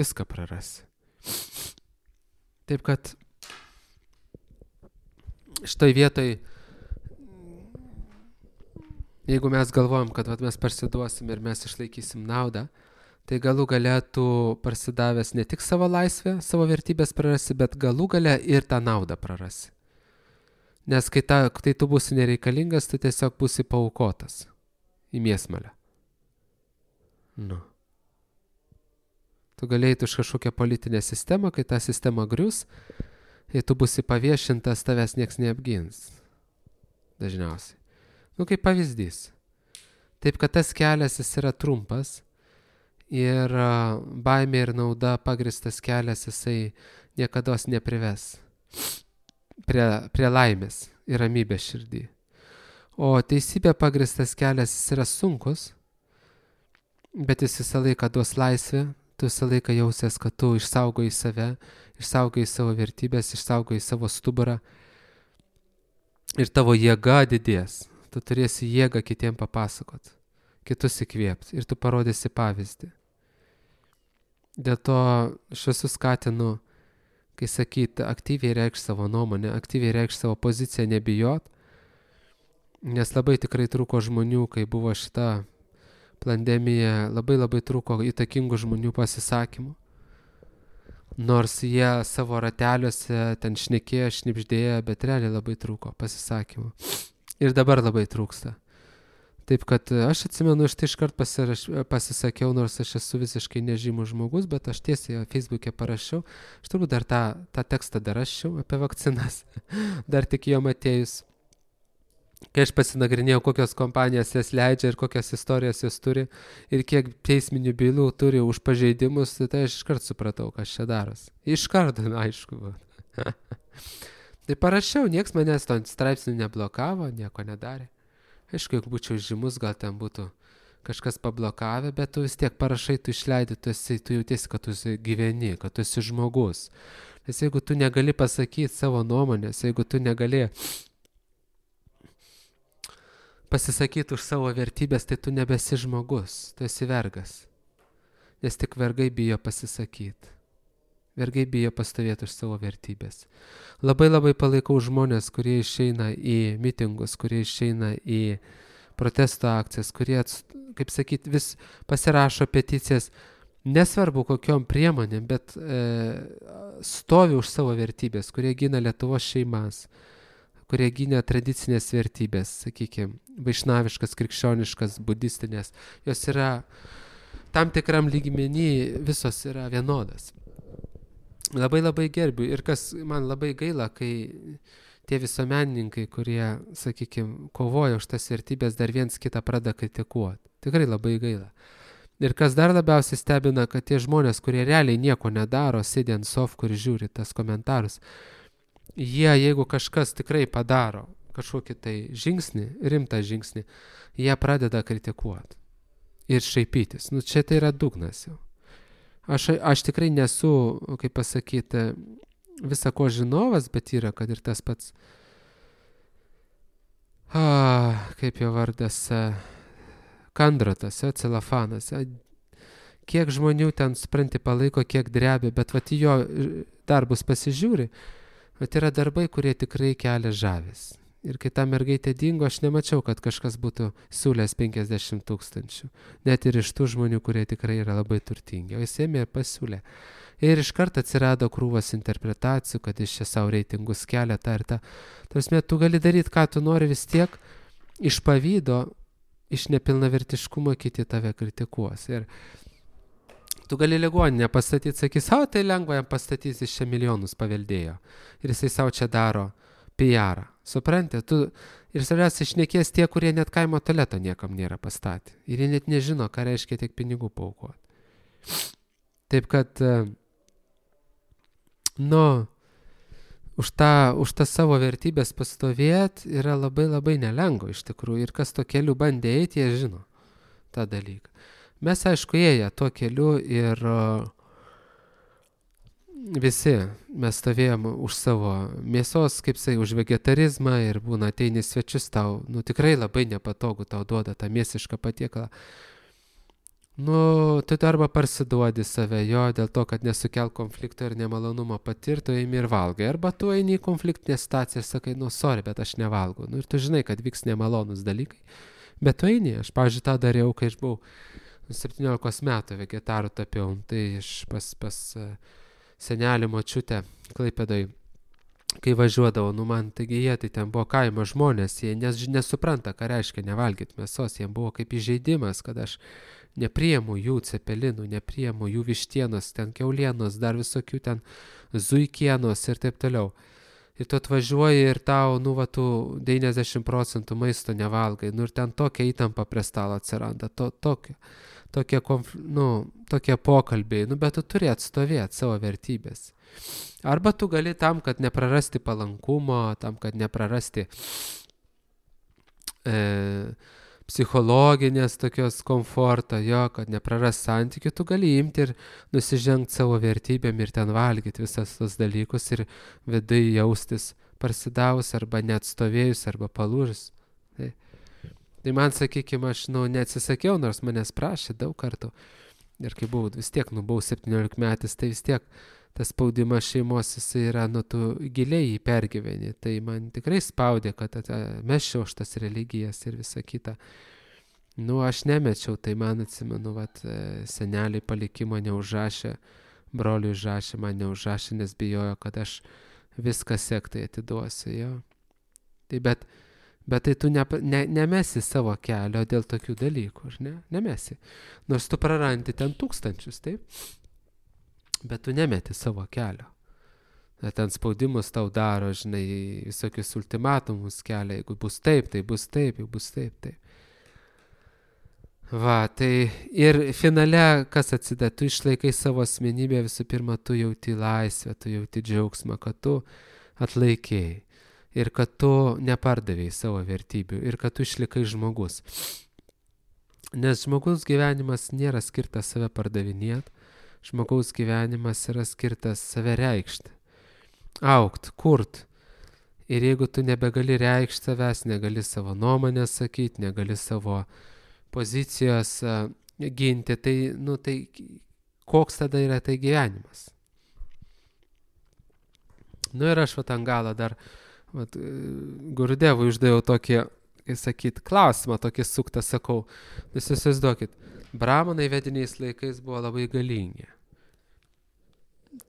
Viską prarasi. Taip kad šitoj vietoj, jeigu mes galvojam, kad mes parsiduosim ir mes išlaikysim naudą, tai galų gale tu parsidavęs ne tik savo laisvę, savo vertybės prarasi, bet galų gale ir tą naudą prarasi. Nes kai tu būsi nereikalingas, tu tiesiog būsi paaukotas į mėsmalę. Nu. Tu galėjai už kažkokią politinę sistemą, kai ta sistema grius, kai tu būsi paviešintas, tavęs nieks neapgins. Dažniausiai. Nu, kaip pavyzdys. Taip, kad tas kelias jis yra trumpas ir baimė ir nauda pagristas kelias jisai niekados neprives prie laimės ir ramybės širdį. O teisybė pagristas kelias jis yra sunkus, bet jis visą laiką duos laisvę, tu visą laiką jausies, kad tu išsaugoji save, išsaugoji savo vertybės, išsaugoji savo stuburą ir tavo jėga didės. Tu turėsi jėgą kitiem papasakot, kitus įkvėpti ir tu parodysi pavyzdį. Dėl to aš visus skatinu, kai sakyt, aktyviai reikš savo nuomonę, aktyviai reikš savo poziciją, nebijot, nes labai tikrai trūko žmonių, kai buvo šita pandemija, labai trūko įtakingų žmonių pasisakymų. Nors jie savo rateliuose ten šnekėjo, šnipždėjo, bet realiai labai trūko pasisakymų. Ir dabar labai trūksta. Taip kad aš atsimenu, aš tai iškart pasisakiau, nors aš esu visiškai nežymus žmogus, bet aš tiesiai Facebook'e parašiau, aš turbūt dar tą tekstą dar rašiau apie vakcinas, dar tik jom atėjus. Kai aš pasinagrinėjau, kokios kompanijos jas leidžia ir kokias istorijas jos turi ir kiek teisminių bylų turi už pažeidimus, tai aš iškart supratau, kas čia daros. Iškart, aišku. Tai parašiau, nieks manęs to straipsnių neblokavo, nieko nedarė. Aišku, jeigu būčiau žymus, gal ten būtų kažkas pablokavę, bet tu vis tiek parašai, tu išleidi, tu jautiesi, kad tu gyveni, kad tu esi žmogus. Nes jeigu tu negali pasakyti savo nuomonės, jeigu tu negali pasisakyti už savo vertybės, tai tu nebesi žmogus, tu esi vergas. Nes tik vergai bijo pasisakyti. Vergai bijo pastovėti už savo vertybės. Labai palaikau žmonės, kurie išeina į mitingus, kurie išeina į protesto akcijas, kurie, kaip sakyti, vis pasirašo peticijas, nesvarbu kokiom priemonėm, bet stovi už savo vertybės, kurie gina Lietuvos šeimas, kurie gina tradicinės vertybės, sakykime, vaišnaviškas, krikščioniškas, budistinės. Jos yra tam tikram lygmenį, visos yra vienodas. Labai gerbiu ir kas man labai gaila, kai tie visuomenininkai, kurie, sakykime, kovoja už tas vertybės, dar viens kitą pradeda kritikuoti. Tikrai labai gaila. Ir kas dar labiausiai stebina, kad tie žmonės, kurie realiai nieko nedaro, sėdi ant sofkų ir žiūri tas komentarus, jie, jeigu kažkas tikrai padaro kažkokį tai žingsnį, rimtą žingsnį, jie pradeda kritikuoti ir šaipytis. Nu, čia tai yra dugnas jau. Aš tikrai nesu, kaip pasakyti, visa ko žinovas, bet yra, kad ir tas pats, kaip jo vardas, Kandratas, Celofanas. Kiek žmonių ten, supranti, palaiko, kiek drebia, bet vat jo darbus pasižiūri, Bet yra darbai, kurie tikrai kelia žavės. Ir kai ta mergaitė dingo, aš nemačiau, kad kažkas būtų siūlęs 50 000. Net ir iš tų žmonių, kurie tikrai yra labai turtingi. O jis ėmė ir pasiūlė. Ir iš karto atsirado krūvas interpretacijų, kad iš čia savo reitingus kelia tą ir tą. Tarsi, tu gali daryti, ką tu nori, vis tiek iš pavydo, iš nepilnavertiškumo kiti tave kritikuos. Ir tu gali ligoninę pastatyti, sakys, o tai lengva jam pastatys, iš čia milijonus paveldėjo. Ir jisai savo čia daro PR. Supranti, tu ir savęs išnekės tie, kurie net kaimo tualeto niekam nėra pastatę. Ir jie net nežino, ką reiškia tiek pinigų paaukoti. Taip kad, už tą savo vertybės pastovėti yra labai labai nelengva iš tikrųjų. Ir kas to keliu bandė eiti, jie žino tą dalyką. Mes, aišku, ėję tuo keliu ir visi mes stovėjom už savo mėsos, kaip sai, už vegetarizmą ir būna ateini svečius tau, tikrai labai nepatogu tau duoda tą mėsišką patiekalą. Tu arba parsiduodi save jo dėl to, kad nesukel konflikto ir nemalonumo patirto, eimi ir valgai. Arba tu eini į konfliktinę situaciją ir sakai, sorry, bet aš nevalgau. Ir tu žinai, kad vyks nemalonus dalykai. Bet tu eini, aš, pavyzdžiui, tą dariau, kai aš buvau 17 metų vegetarų tapiau. Tai aš pas senelį močiutę Klaipėdoj, kai važiuodavo, man taigi jie, tai ten buvo kaimo žmonės, jie nesupranta, ką reiškia nevalgyti mėsos, jiems buvo kaip įžeidimas, kad aš nepriemu jų cepelinų, nepriemu jų vištienos, ten kiaulienos, dar visokių ten zuikienos ir taip toliau. Ir tu atvažiuoji ir tau, tu 90% maisto nevalgai, ir ten tokia įtampa prie stalo atsiranda, tokie pokalbiai, bet tu turi atstovėti savo vertybės. Arba tu gali tam, kad neprarasti palankumo, tam, kad neprarasti psichologinės tokios komforto, kad nepraras santykių, tu gali imti ir nusižengti savo vertybėm ir ten valgyti visas tos dalykus ir vidai jaustis parsidavus arba neatstovėjus arba palūžus. Tai man, sakykime, aš neatsisakiau, nors manęs prašė daug kartų. Ir kai buvau, vis tiek, buvau 17 metais, tai vis tiek tas spaudimas šeimos, jisai yra, tu giliai jį pergyveni. Tai man tikrai spaudė, kad mesčiau už tas religijas ir visa kita. Aš nemečiau, tai man atsimenu, seneliai palikimo neužrašė, broliui užrašė, man neužrašė, nes bijojo, kad aš viską sektai atiduosiu, jo. Tai bet tai tu nemesi savo kelio dėl tokių dalykų, ar ne? Nemesi. Nors tu prarandi ten tūkstančius, taip? Bet tu nemeti savo kelio. Ten spaudimus tau daro, žinai, visokius ultimatumus kelia, jeigu bus taip, tai bus taip, jeigu bus taip, taip. Tai ir finale, kas atsideda, tu išlaikai savo asmenybę, visų pirma, tu jauti laisvę, tu jauti džiaugsmą, kad tu atlaikėjai. Ir kad tu nepardavėjai savo vertybių, ir kad tu išlikai žmogus. Nes žmogaus gyvenimas nėra skirtas save pardavinėti, žmogaus gyvenimas yra skirtas save reikšti, augt, kurt. Ir jeigu tu nebegali reikšti savęs, negali savo nuomonę sakyti, negali savo pozicijos ginti, tai koks tada yra tai gyvenimas? Ir aš ant galo dar Gurudevui uždaviau tokį, klausimą, tokį suktą, sakau, jūs įsivaizduokit, bramanai vediniais laikais buvo labai galingi.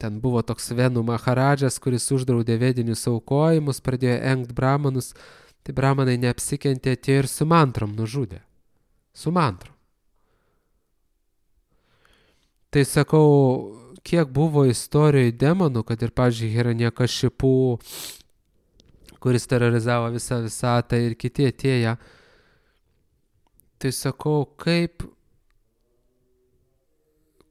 Ten buvo toks Venų Maharadžas, kuris uždraudė vedinius aukojimus, pradėjo engt bramanus, tai bramanai neapsikentė, atėjo ir su mantrom nužudė. Su mantrom. Tai sakau, kiek buvo istorijoje demonų, kad ir, pavyzdžiui, Hiranyakšipų, kuris terorizavo visą visatą ir kiti atėję. Tai sakau,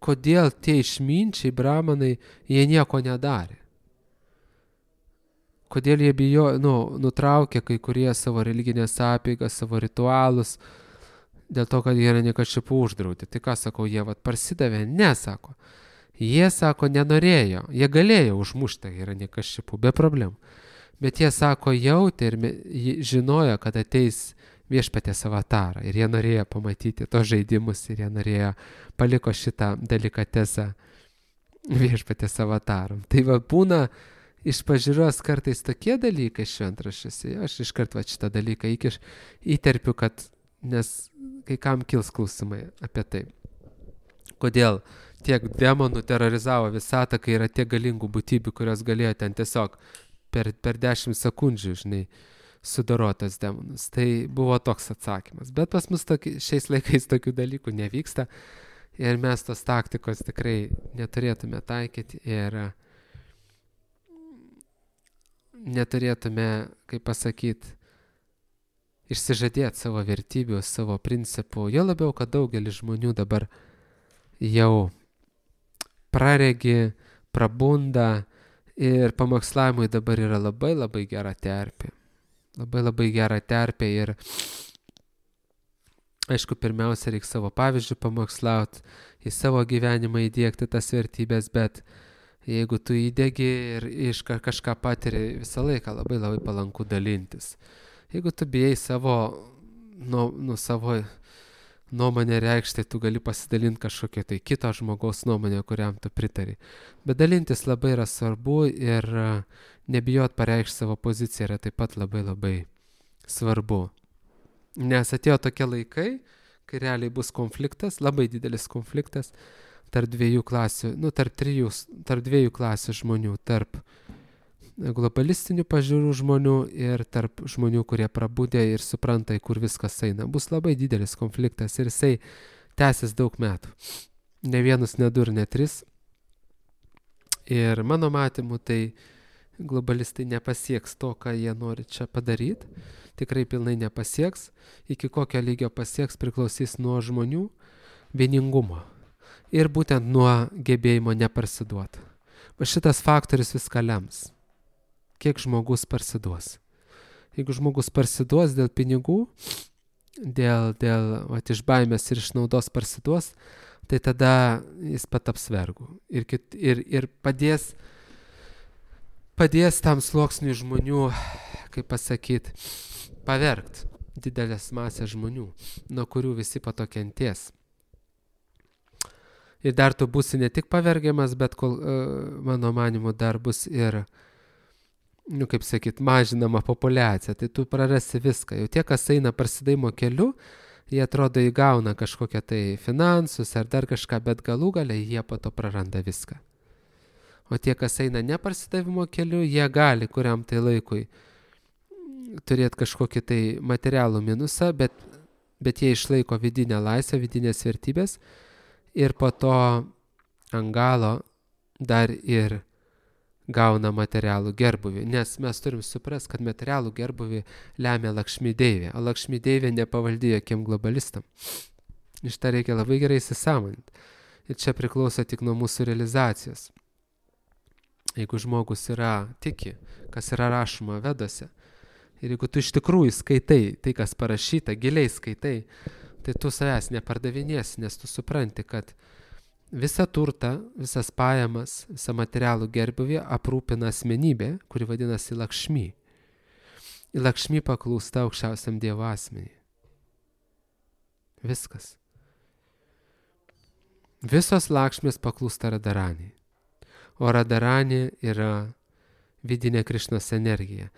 kodėl tie išminčiai, bramanai, jie nieko nedarė. Kodėl jie nutraukė kai kurie savo religinės apeigas, savo ritualus, dėl to, kad Hiranyakšipų uždraudė. Tai ką sakau, jie parsidavė? Ne, sako. Jie, sako, nenorėjo. Jie galėjo užmušti Hiranyakšipų, be problemų. Bet jie, sako, jautė ir žinojo, kad ateis viešpaties avatarą. Ir jie norėjo pamatyti tos žaidimus ir jie paliko šitą delikatesą viešpaties avataram. Tai būna, iš pažiūros kartais tokie dalykai šventraščiuose, aš iškart šitą dalyką įterpiu, kad nes kai kam kils klausimai apie tai. Kodėl tiek demonų terorizavo visatą, kai yra tiek galingų būtybių, kurios galėjo ten tiesiog per 10 sekundžių, sudarotas demonus. Tai buvo toks atsakymas. Bet pas mus šiais laikais tokių dalykų nevyksta ir mes tos taktikos tikrai neturėtume taikyti ir neturėtume, kaip pasakyti, išsižadėti savo vertybių, savo principų. Jo labiau, kad daugelis žmonių dabar jau praregi, prabunda ir pamokslavimui dabar yra labai labai gera terpė. Labai labai gera terpė ir aišku, pirmiausia, reikia savo pavyzdžių pamokslauti, į savo gyvenimą įdiegti tas vertybės, bet jeigu tu įdegi ir kažką patiri, visą laiką labai labai palanku dalintis. Jeigu tu bijai savo nuomonę reikšti, tu gali pasidalinti kažkokią tai kito žmogaus nuomonę, kuriam tu pritari. Bet dalintis labai yra svarbu ir nebijot pareikšti savo poziciją yra taip pat labai labai svarbu. Nes atėjo tokie laikai, kai realiai bus konfliktas, labai didelis konfliktas tarp dviejų klasių, tarp dviejų klasių žmonių, tarp globalistinių pažiūrų žmonių ir tarp žmonių, kurie prabudė ir supranta, į kur viskas eina. Bus labai didelis konfliktas ir jisai tęsis daug metų. Ne vienus, ne du ir ne tris. Ir mano matymu, tai globalistai nepasieks to, ką jie nori čia padaryti. Tikrai pilnai nepasieks. Iki kokio lygio pasieks priklausys nuo žmonių vieningumo. Ir būtent nuo gebėjimo neparsiduoti. Va šitas faktorius viską lems. Kiek žmogus parsiduos. Jeigu žmogus parsiduos dėl pinigų, dėl iš baimės ir iš naudos parsiduos, tai tada jis pataps vergu. Ir padės tam sluoksniui žmonių, kaip pasakyti, pavergt didelės masės žmonių, nuo kurių visi po to kenties. Ir dar tu būsi ne tik pavergiamas, bet mano manimu dar bus ir kaip sakyt, mažinama populiacija, tai tu prarasi viską. Jau tie, kas eina parsidavimo keliu, jie atrodo įgauna kažkokią tai finansus ar dar kažką, bet galų gale jie po to praranda viską. O tie, kas eina ne parsidavimo keliu, jie gali kuriam tai laikui turėti kažkokį tai materialų minusą, bet jie išlaiko vidinę laisvę, vidinės vertybės ir po to ant galo dar ir gauna materialų gerbuvį, nes mes turim suprasti, kad materialų gerbuvį lemia Lakšmi Deivė, o Lakšmi Deivė nepavaldi jokiem globalistam. Iš tą reikia labai gerai įsisąmoninti. Ir čia priklauso tik nuo mūsų realizacijos. Jeigu žmogus tiki, kas yra rašoma Vedose, ir jeigu tu iš tikrųjų skaitai tai, kas parašyta, giliai skaitai, tai tu savęs nepardavinėsi, nes tu supranti, kad visą turtą, visas pajamas, visą materialų gerbuvį aprūpina asmenybė, kuri vadinasi Lakšmi. Į Lakšmi paklūsta aukščiausiam Dievo asmenį. Viskas. Visos Lakšmės paklūsta Radharani. O Radharani yra vidinė Krišnos energija.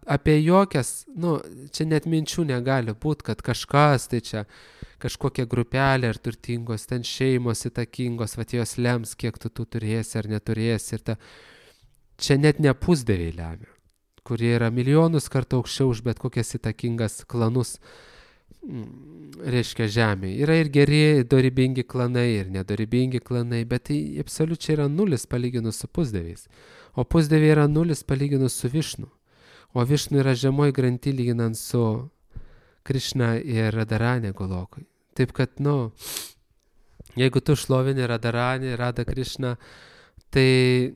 Apie jokias, čia net minčių negali būti, kad kažkas, tai čia kažkokia grupelė ar turtingos, ten šeimos įtakingos, jos lems, kiek tu turėsi ar neturėsi. Čia net ne pusdieviai lemia, kurie yra milijonus kartų aukščiau už bet kokias įtakingas klanus, reiškia žemėje. Yra ir geri, dorybingi klanai, ir nedorybingi klanai, bet tai absoliučiai yra nulis palyginus su pusdieviais. O pusdieviai yra nulis palyginus su Višnu. O Višnu yra žemoj granty lyginant su Krišna ir Radharani Golokui. Taip kad, jeigu tu šlovini Radharani, Radha Krišna, tai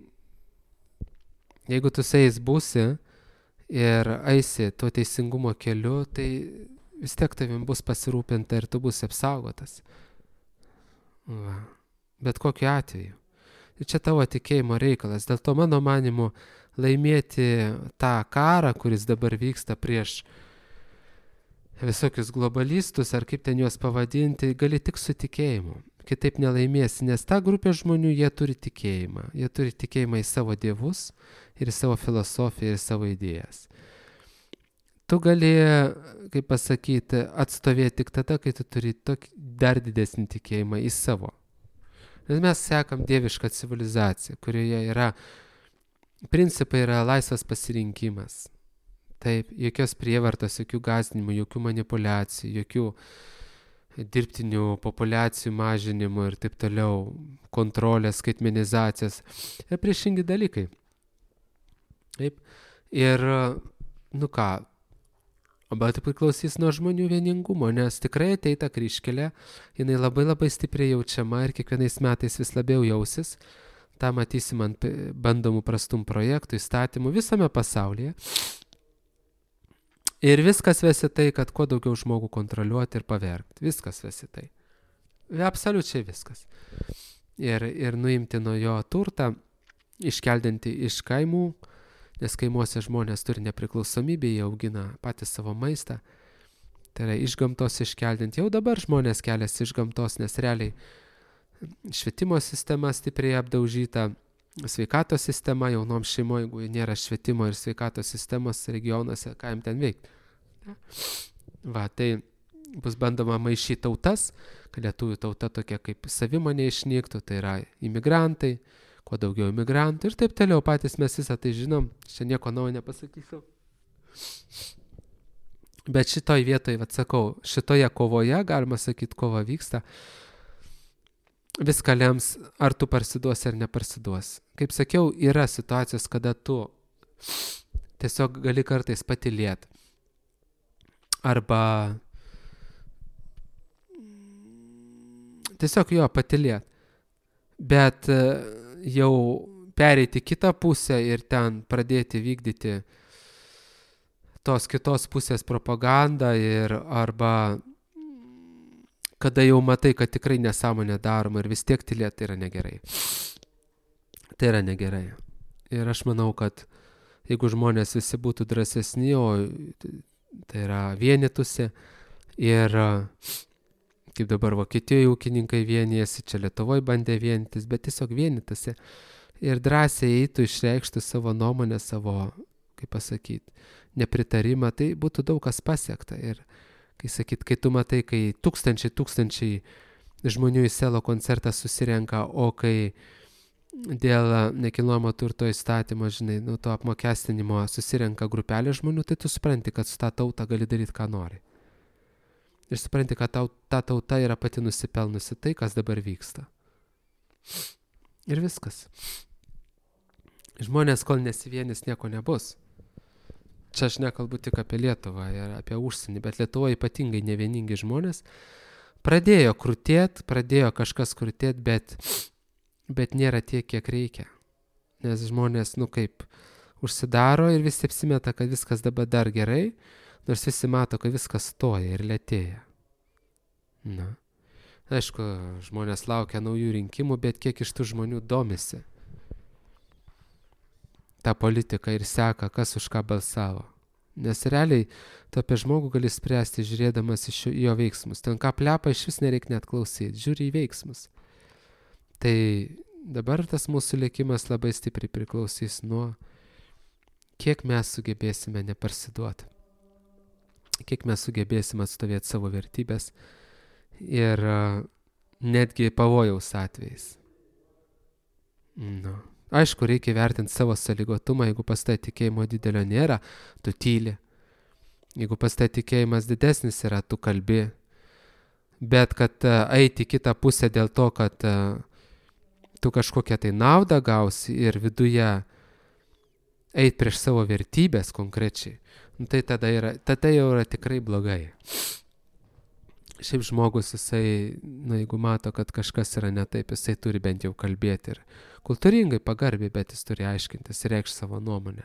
jeigu tu su jais būsi ir eisi tuo teisingumo keliu, tai vis tiek tavim bus pasirūpinta ir tu būsi apsaugotas. Bet kokiu atveju. Ir čia tavo tikėjimo reikalas. Dėl to mano manimu laimėti tą karą, kuris dabar vyksta prieš visokius globalistus, ar kaip ten juos pavadinti, gali tik su tikėjimu. kitaip nelaimėsi, nes ta grupė žmonių, jie turi tikėjimą. Jie turi tikėjimą į savo dievus ir į savo filosofiją ir savo idėjas. Tu gali, kaip pasakyti, atstovėti tik tada, kai tu turi dar didesnį tikėjimą į savo. Nes mes sekam dievišką civilizaciją, kurioje yra, principai yra laisvas pasirinkimas. Taip, jokios prievartos, jokių gąsdinimų, jokių manipulacijų, jokių dirbtinių populiacijų mažinimų ir taip toliau, kontrolės, skaitmenizacijos ir priešingi dalykai. Taip, ir, bet priklausys nuo žmonių vieningumo, nes tikrai ateita kryžkelė, jinai labai labai stipriai jaučiama ir kiekvienais metais vis labiau jausis. Ta matysim ant bandomų prastum projektų, įstatymų visame pasaulyje. Ir viskas vesi tai, kad kuo daugiau žmogų kontroliuoti ir pavergti. Viskas vesi tai. Absoliučiai viskas. Ir nuimti nuo jo turtą, iškeldinti iš kaimų, nes kaimuose žmonės turi nepriklausomybę, jie augina patys savo maistą. Tai yra iš gamtos iškeldinti. Jau dabar žmonės keliasi iš gamtos, nes realiai švietimo sistema stipriai apdaužyta, sveikatos sistema jaunom šeimoje, jeigu nėra švietimo ir sveikatos sistemos regionuose, ką jam ten veikti. Tai bus bandoma maišyti tautas, kad lietuvių tauta tokia kaip savimonė išnyktų, tai yra imigrantai, kuo daugiau imigrantų ir taip toliau, patys mes visą tai žinom, čia nieko naujo nepasakysiu. Bet šitoj vietoje, sakau, šitoje kovoje, galima sakyti, kova vyksta, viską lems, ar tu parsiduosi ar neparsiduosi. Kaip sakiau, yra situacijos, kada tu tiesiog gali kartais patylėti. Arba tiesiog patylėti. Bet jau pereiti kitą pusę ir ten pradėti vykdyti tos kitos pusės propagandą arba kada jau matai, kad tikrai nesąmonė daroma ir vis tiek tylėti, tai yra negerai. Tai yra negerai. Ir aš manau, kad jeigu žmonės visi būtų drąsesni, o tai yra vienytųsi ir kaip dabar Vokietijoje ūkininkai vienijasi, čia Lietuvoje bandė vienytis, bet tiesiog vienytųsi ir drąsiai eitų išreikšti savo nuomonę, savo, kaip pasakyti, nepritarimą, tai būtų daug kas pasiekta. Ir kai tu matai, kai tūkstančiai žmonių į selo koncertą susirenka, o kai dėl nekilnojamo turto įstatymo, to apmokestinimo susirenka grupelė žmonių, tai tu supranti, kad su tą tautą gali daryti, ką nori. Ir supranti, kad ta tauta yra pati nusipelnusi tai, kas dabar vyksta. Ir viskas. Žmonės, kol nesivienys, nieko nebus. Čia aš nekalbu tik apie Lietuvą ir apie užsienį, bet Lietuvoje ypatingai nevieningi žmonės pradėjo krutėti, pradėjo kažkas krutėti, bet nėra tiek, kiek reikia. Nes žmonės, užsidaro ir visi apsimeta, kad viskas dabar dar gerai, nors visi mato, kad viskas stoja ir lėtėja. Aišku, žmonės laukia naujų rinkimų, bet kiek iš tų žmonių domisi tą politiką ir seka, kas už ką balsavo. Nes realiai tu apie žmogų gali spręsti žiūrėdamas iš jo veiksmus. Ten ką plepa, iš vis nereikia net klausyti, žiūri į veiksmus. Tai dabar tas mūsų likimas labai stipriai priklausys nuo, kiek mes sugebėsime neparsiduoti. Kiek mes sugebėsime atstovėti savo vertybės ir netgi pavojaus atvejais. Aišku, reikia vertinti savo sąlygotumą, jeigu pas tai tikėjimo didelio nėra, tu tyli. Jeigu pas tai tikėjimas didesnis yra, tu kalbi. Bet kad eiti kitą pusę dėl to, kad tu kažkokią tai naudą gausi ir viduje eiti prieš savo vertybės konkrečiai, tai tada jau yra tikrai blogai. Šiaip žmogus, jisai, jeigu mato, kad kažkas yra ne taip, jisai turi bent jau kalbėti ir kultūringai, pagarbiai, bet jis turi aiškintis ir reikšti savo nuomonę.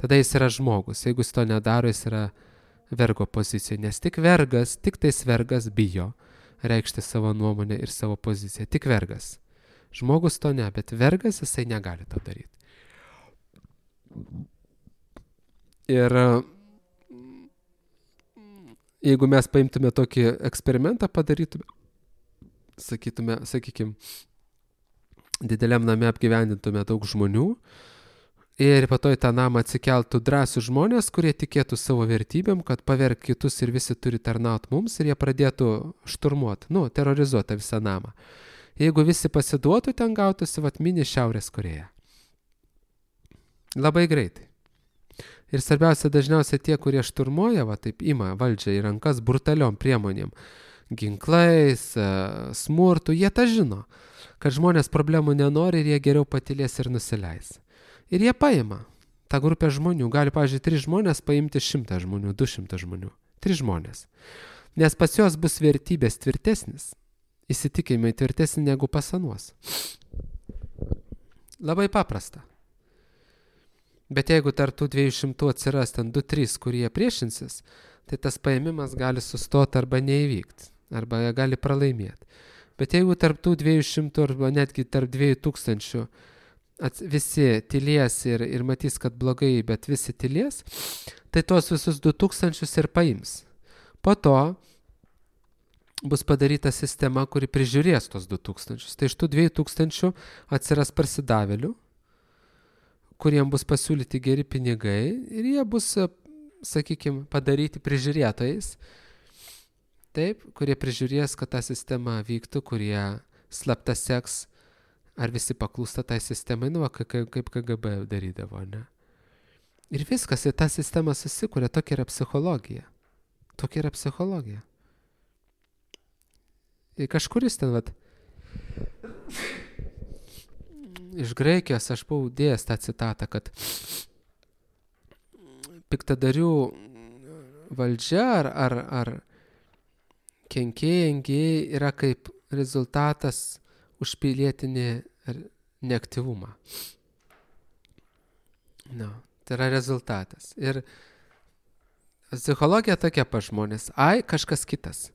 Tada jis yra žmogus. Jeigu jis to nedaro, jis yra vergo pozicijoje, nes tik tais vergas bijo reikšti savo nuomonę ir savo poziciją. Tik vergas. Žmogus to ne, bet vergas jisai negali to daryti. Ir jeigu mes paimtume tokį eksperimentą, padarytume sakykime, dideliam name apgyvendintume daug žmonių ir po to į tą namą atsikeltų drąsūs žmonės, kurie tikėtų savo vertybėm, kad paverk kitus ir visi turi tarnaut mums ir jie pradėtų šturmuoti, terorizuoti visą namą. Jeigu visi pasiduotų, ten gautųsi mini Šiaurės Korėja. Labai greitai. Ir svarbiausia, dažniausiai tie, kurie šturmuoja, taip ima valdžią į rankas brutaliom priemonėm, ginklais, smurtu, jie tą žino, kad žmonės problemų nenori ir jie geriau patylės ir nusileis. Ir jie paima tą grupę žmonių. Gali, pavyzdžiui, 3 žmonės paimti 100 žmonių, 200 žmonių. 3 žmonės. Nes pas juos bus vertybės tvirtesnis, įsitikėjimai tvirtesni negu pas anuos. Labai paprasta. Bet jeigu tarp tų 200 atsiras ten 2-3, kurie priešinsis, tai tas paėmimas gali sustoti arba neįvykti, arba gali pralaimėti. Bet jeigu tarp tų 200 arba netgi tarp 2000 visi tylės ir matys, kad blogai, bet visi tylės, tai tos visus 2000 ir paims. Po to bus padaryta sistema, kuri prižiūrės tos 2000. Tai iš tų 2000 atsiras parsidavėlių, kuriem bus pasiūlyti geri pinigai ir jie bus, sakykime, padaryti prižiūrėtojais, taip, kurie prižiūrės, kad ta sistema vyktų, kurie slapta seks, ar visi paklūsta tai sistemai, kaip KGB darydavo, ne? Ir viskas, į tą sistemą susikuria, tokia yra psichologija. Tokia yra psichologija. Ir kažkuris ten, iš Graikijos aš buvau dėjęs tą citatą, kad piktadarių valdžia ar kenkėjai yra kaip rezultatas už pilietinį neaktyvumą. Tai yra rezultatas. Ir psichologija tokia pa žmonės. Kažkas kitas.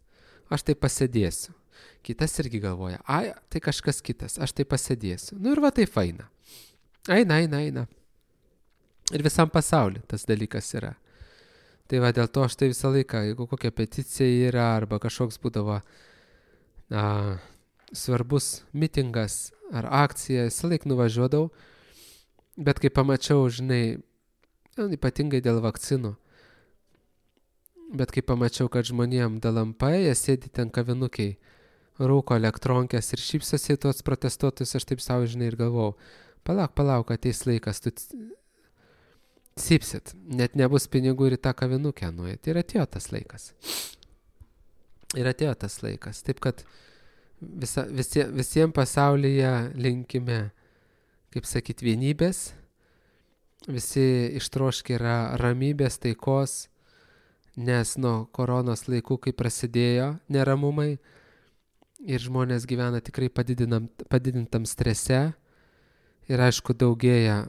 Aš tai pasėdėsiu. Kitas irgi galvoja, tai kažkas kitas, aš tai pasėdėsiu. Ir tai faina. Eina. Ir visam pasauliu tas dalykas yra. Tai dėl to aš tai visą laiką, jeigu kokia peticija yra, arba kažkoks būdavo svarbus mitingas ar akcija, visą laiką nuvažiuodavau, bet kai pamačiau, ypatingai dėl vakcinų, bet kai pamačiau, kad žmonėm dalampai, jie sėdi ten kavinukiai, rūko elektronkės ir šypsosi tuos protestuotojus, aš taip savo ir galvojau, palauk, ateis laikas, tu cypsit, net nebus pinigų ir į tą kavinukę nuėti. Ir atėjo tas laikas. Taip, kad visiems pasaulyje linkime, kaip sakyt, vienybės, visi ištroškę yra ramybės, taikos, nes nuo koronos laikų, kai prasidėjo neramumai, ir žmonės gyvena tikrai padidintam strese ir aišku daugėja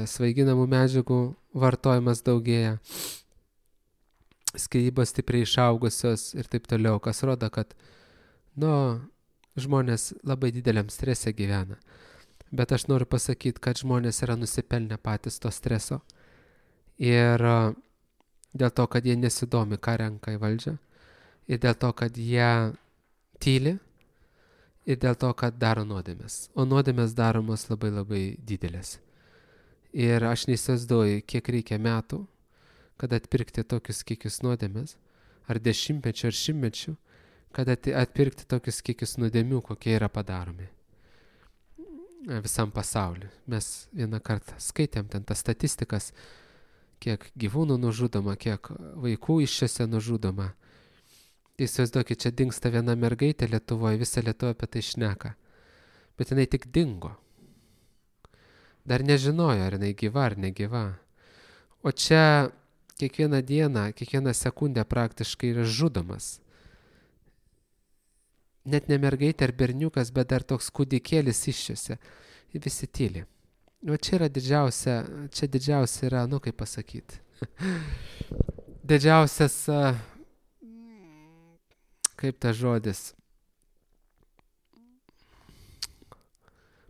svaiginamų medžiagų vartojimas daugėja, skyrybos stipriai išaugusios ir taip toliau, kas rodo, kad žmonės labai dideliam strese gyvena. Bet aš noriu pasakyti, kad žmonės yra nusipelnę patys to streso ir dėl to, kad jie nesidomi, ką renka į valdžią, ir dėl to, kad jie tyli, ir dėl to, kad daro nuodėmės. O nuodėmės daromos labai labai didelės. Ir aš neįsivaizduoju, kiek reikia metų, kad atpirkti tokius kiekius nuodėmės, ar dešimtmečių, ar šimtmečių, kad atpirkti tokius kiekius nuodėmių, kokie yra padaromi visam pasauliu. Mes vieną kartą skaitėm ten tas statistikas, kiek gyvūnų nužudoma, kiek vaikų iššiose nužudoma. Įsivaizduokit, čia dingsta viena mergaitė Lietuvoje, visa Lietuva apie tai šneka. Bet jinai tik dingo. Dar nežinojo, ar jinai gyva ar negyva. O čia kiekvieną dieną, kiekvieną sekundę praktiškai yra žudomas. Net ne mergaitė ar berniukas, bet dar toks kūdikėlis iššiose. Ir visi tyli. O čia yra didžiausia yra, kaip pasakyti, didžiausias, kaip tas žodis,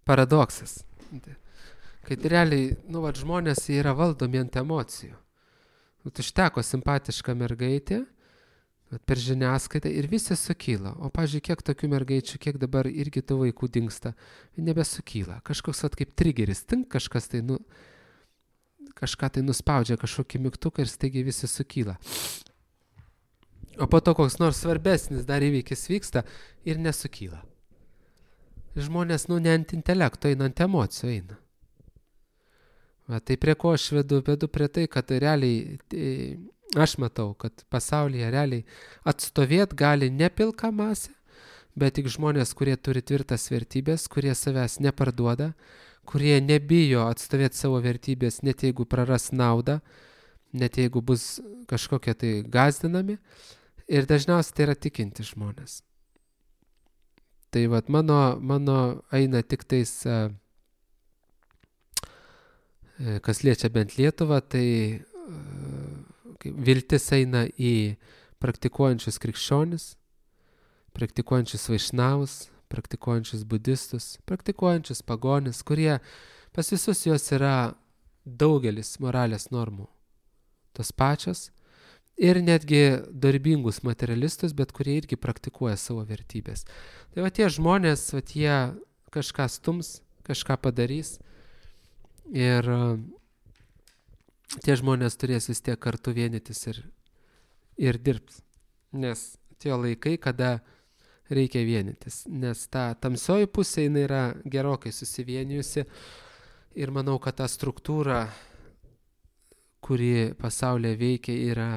paradoksas. Kad realiai, žmonės yra valdomi ant emocijų. Užteko simpatiška mergaitė, per žiniasklaidą ir visi sukyla. O, pavyzdžiui, kiek tokių mergaičių, kiek dabar irgi tų vaikų dingsta, nebesukyla. Kažkoks kaip trigeris, kažkas tai, kažką tai nuspaudžia, kažkokį mygtuką ir staigiai visi sukyla. O po to koks nors svarbesnis dar įvykis vyksta ir nesukyla. Žmonės, ne ant intelekto eina, ant emocijų eina. Tai prie ko aš vedu prie tai, kad realiai aš matau, kad pasaulyje realiai atstovėt gali ne pilka masė, bet tik žmonės, kurie turi tvirtas vertybės, kurie savęs neparduoda, kurie nebijo atstovėti savo vertybės, net jeigu praras naudą, net jeigu bus kažkokie tai gąsdinami. Ir dažniausiai tai yra tikinti žmonės. Tai vat mano eina tik tais, kas liečia bent Lietuvą, tai viltis eina į praktikuojančius krikščionis, praktikuojančius vaišnavus, praktikuojančius budistus, praktikuojančius pagonis, kurie pas visus jos yra daugelis moralės normų tos pačios ir netgi darbingus materialistus, bet kurie irgi praktikuoja savo vertybės. Tai va tie žmonės, jie kažką stums, kažką padarys ir tie žmonės turės vis tiek kartu vienytis ir dirbs. Nes tie laikai, kada reikia vienytis, nes ta tamsioji pusė jinai yra gerokai susivienijusi ir manau, kad ta struktūra, kuri pasaulyje veikia, yra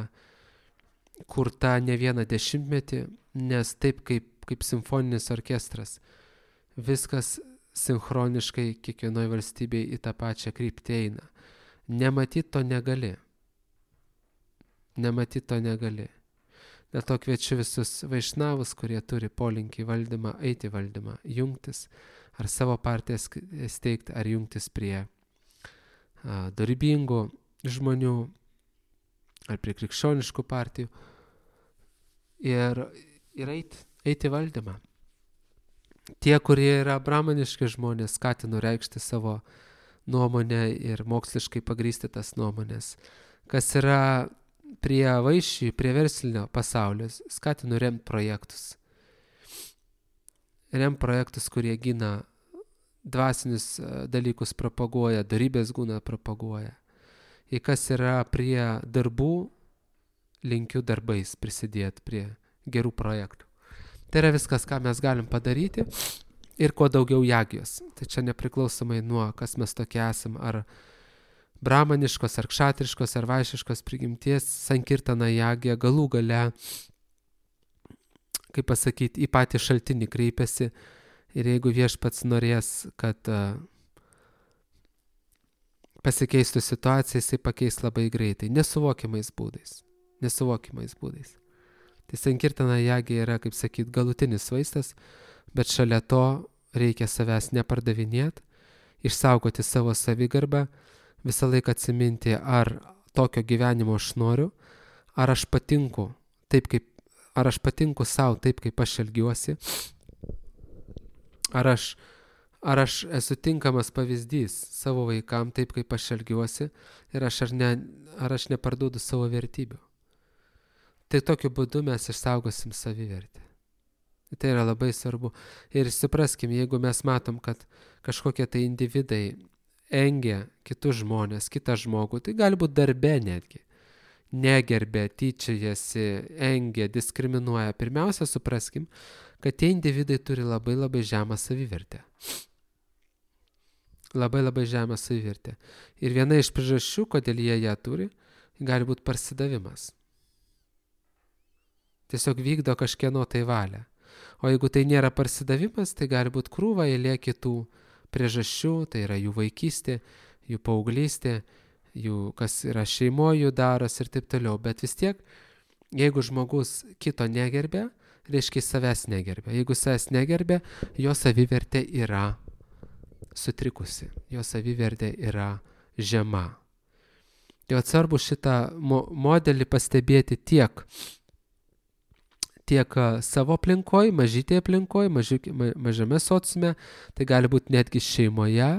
kurta ne vieną dešimtmetį, nes taip kaip simfoninis orkestras, viskas sinchroniškai kiekvienoje valstybėje į tą pačią kryptį eina. Nematyt to negali. Dėl to kviečiu visus vaišnavus, kurie turi polinkį į valdymą, eiti į valdymą, jungtis, ar savo partiją steigti, ar jungtis prie dorybingų žmonių, ar prie krikščioniškų partijų ir eiti į valdymą. Tie, kurie yra brahmaniški žmonės, skatinu reikšti savo nuomonę ir moksliškai pagrysti tas nuomonės. Kas yra prie vaišių, prie verslinio pasaulio, skatinu remti projektus. Remti projektus, kurie gina dvasinius dalykus, propaguoja, dorybės gūną propaguoja. Ir kas yra prie darbų, linkiu darbais prisidėti prie gerų projektų. Tai yra viskas, ką mes galim padaryti ir kuo daugiau jagijos. Tai čia nepriklausomai nuo, kas mes tokie esam, ar brahmaniškos, ar kšatriškos, ar vaišiškos prigimties, sankirtana jagija galų gale, kaip pasakyti, į patį šaltinį kreipiasi ir jeigu viešpats norės, kad pasikeistų situacija, jisai pakeis labai greitai, nesuvokiamais būdais. Tai sankirtana jagija yra, kaip sakyt, galutinis vaistas, bet šalia to reikia savęs nepardavinėti, išsaugoti savo savigarbą, visą laiką atsiminti, ar tokio gyvenimo aš noriu, ar aš patinku savo taip, kaip aš elgiuosi, ar aš esu tinkamas pavyzdys savo vaikam taip, kaip aš elgiuosi ir ar aš neparduodu savo vertybių. Tai tokiu būdu mes išsaugosim savivertę. Tai yra labai svarbu. Ir supraskim, jeigu mes matom, kad kažkokie tai individai engia kitus žmonės, kitą žmogų, tai gali būti darbe netgi. Negerbė, tyčiajasi, engia, diskriminuoja. Pirmiausia, supraskim, kad tie individai turi labai labai žemą savivertę. Labai žemą savivertę. Ir viena iš priežasčių, kodėl jie ją turi, gali būti parsidavimas. Tiesiog vykdo kažkieno tai valią. O jeigu tai nėra parsidavimas, tai gali būti krūva eilė kitų priežasčių, tai yra jų vaikystė, jų paauglystė, jų kas yra šeimoje jų daros ir taip toliau. Bet vis tiek, jeigu žmogus kito negerbė, reiškia savęs negerbė. Jeigu savęs negerbė, jo savivertė yra sutrikusi, jo savivertė yra žema. Tai svarbu šitą modelį pastebėti tiek savo aplinkoje, mažytėje aplinkoje, mažame sociume, tai gali būti netgi šeimoje,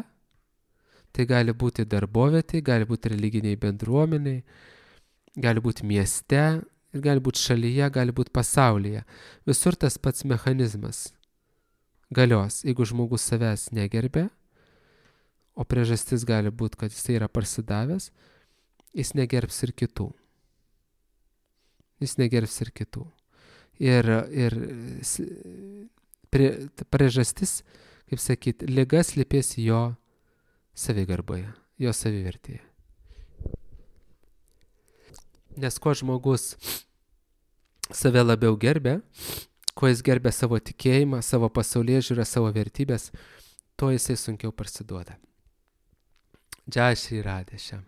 tai gali būti darbovietėje, gali būti religiniai bendruomeniai, gali būti mieste ir gali būti šalyje, gali būti pasaulyje. Visur tas pats mechanizmas galios. Jeigu žmogus savęs negerbė, o priežastis gali būti, kad jis yra parsidavęs, jis negerbs ir kitų. Ir priežastis, kaip sakyti, liga slypės jo savigarboje, jo savivertėje. Nes kuo žmogus save labiau gerbė, kuo jis gerbė savo tikėjimą, savo pasaulėžiūrą, savo vertybės, tuo jisai sunkiau parsiduoda. Jai Shri Radhe Shyam.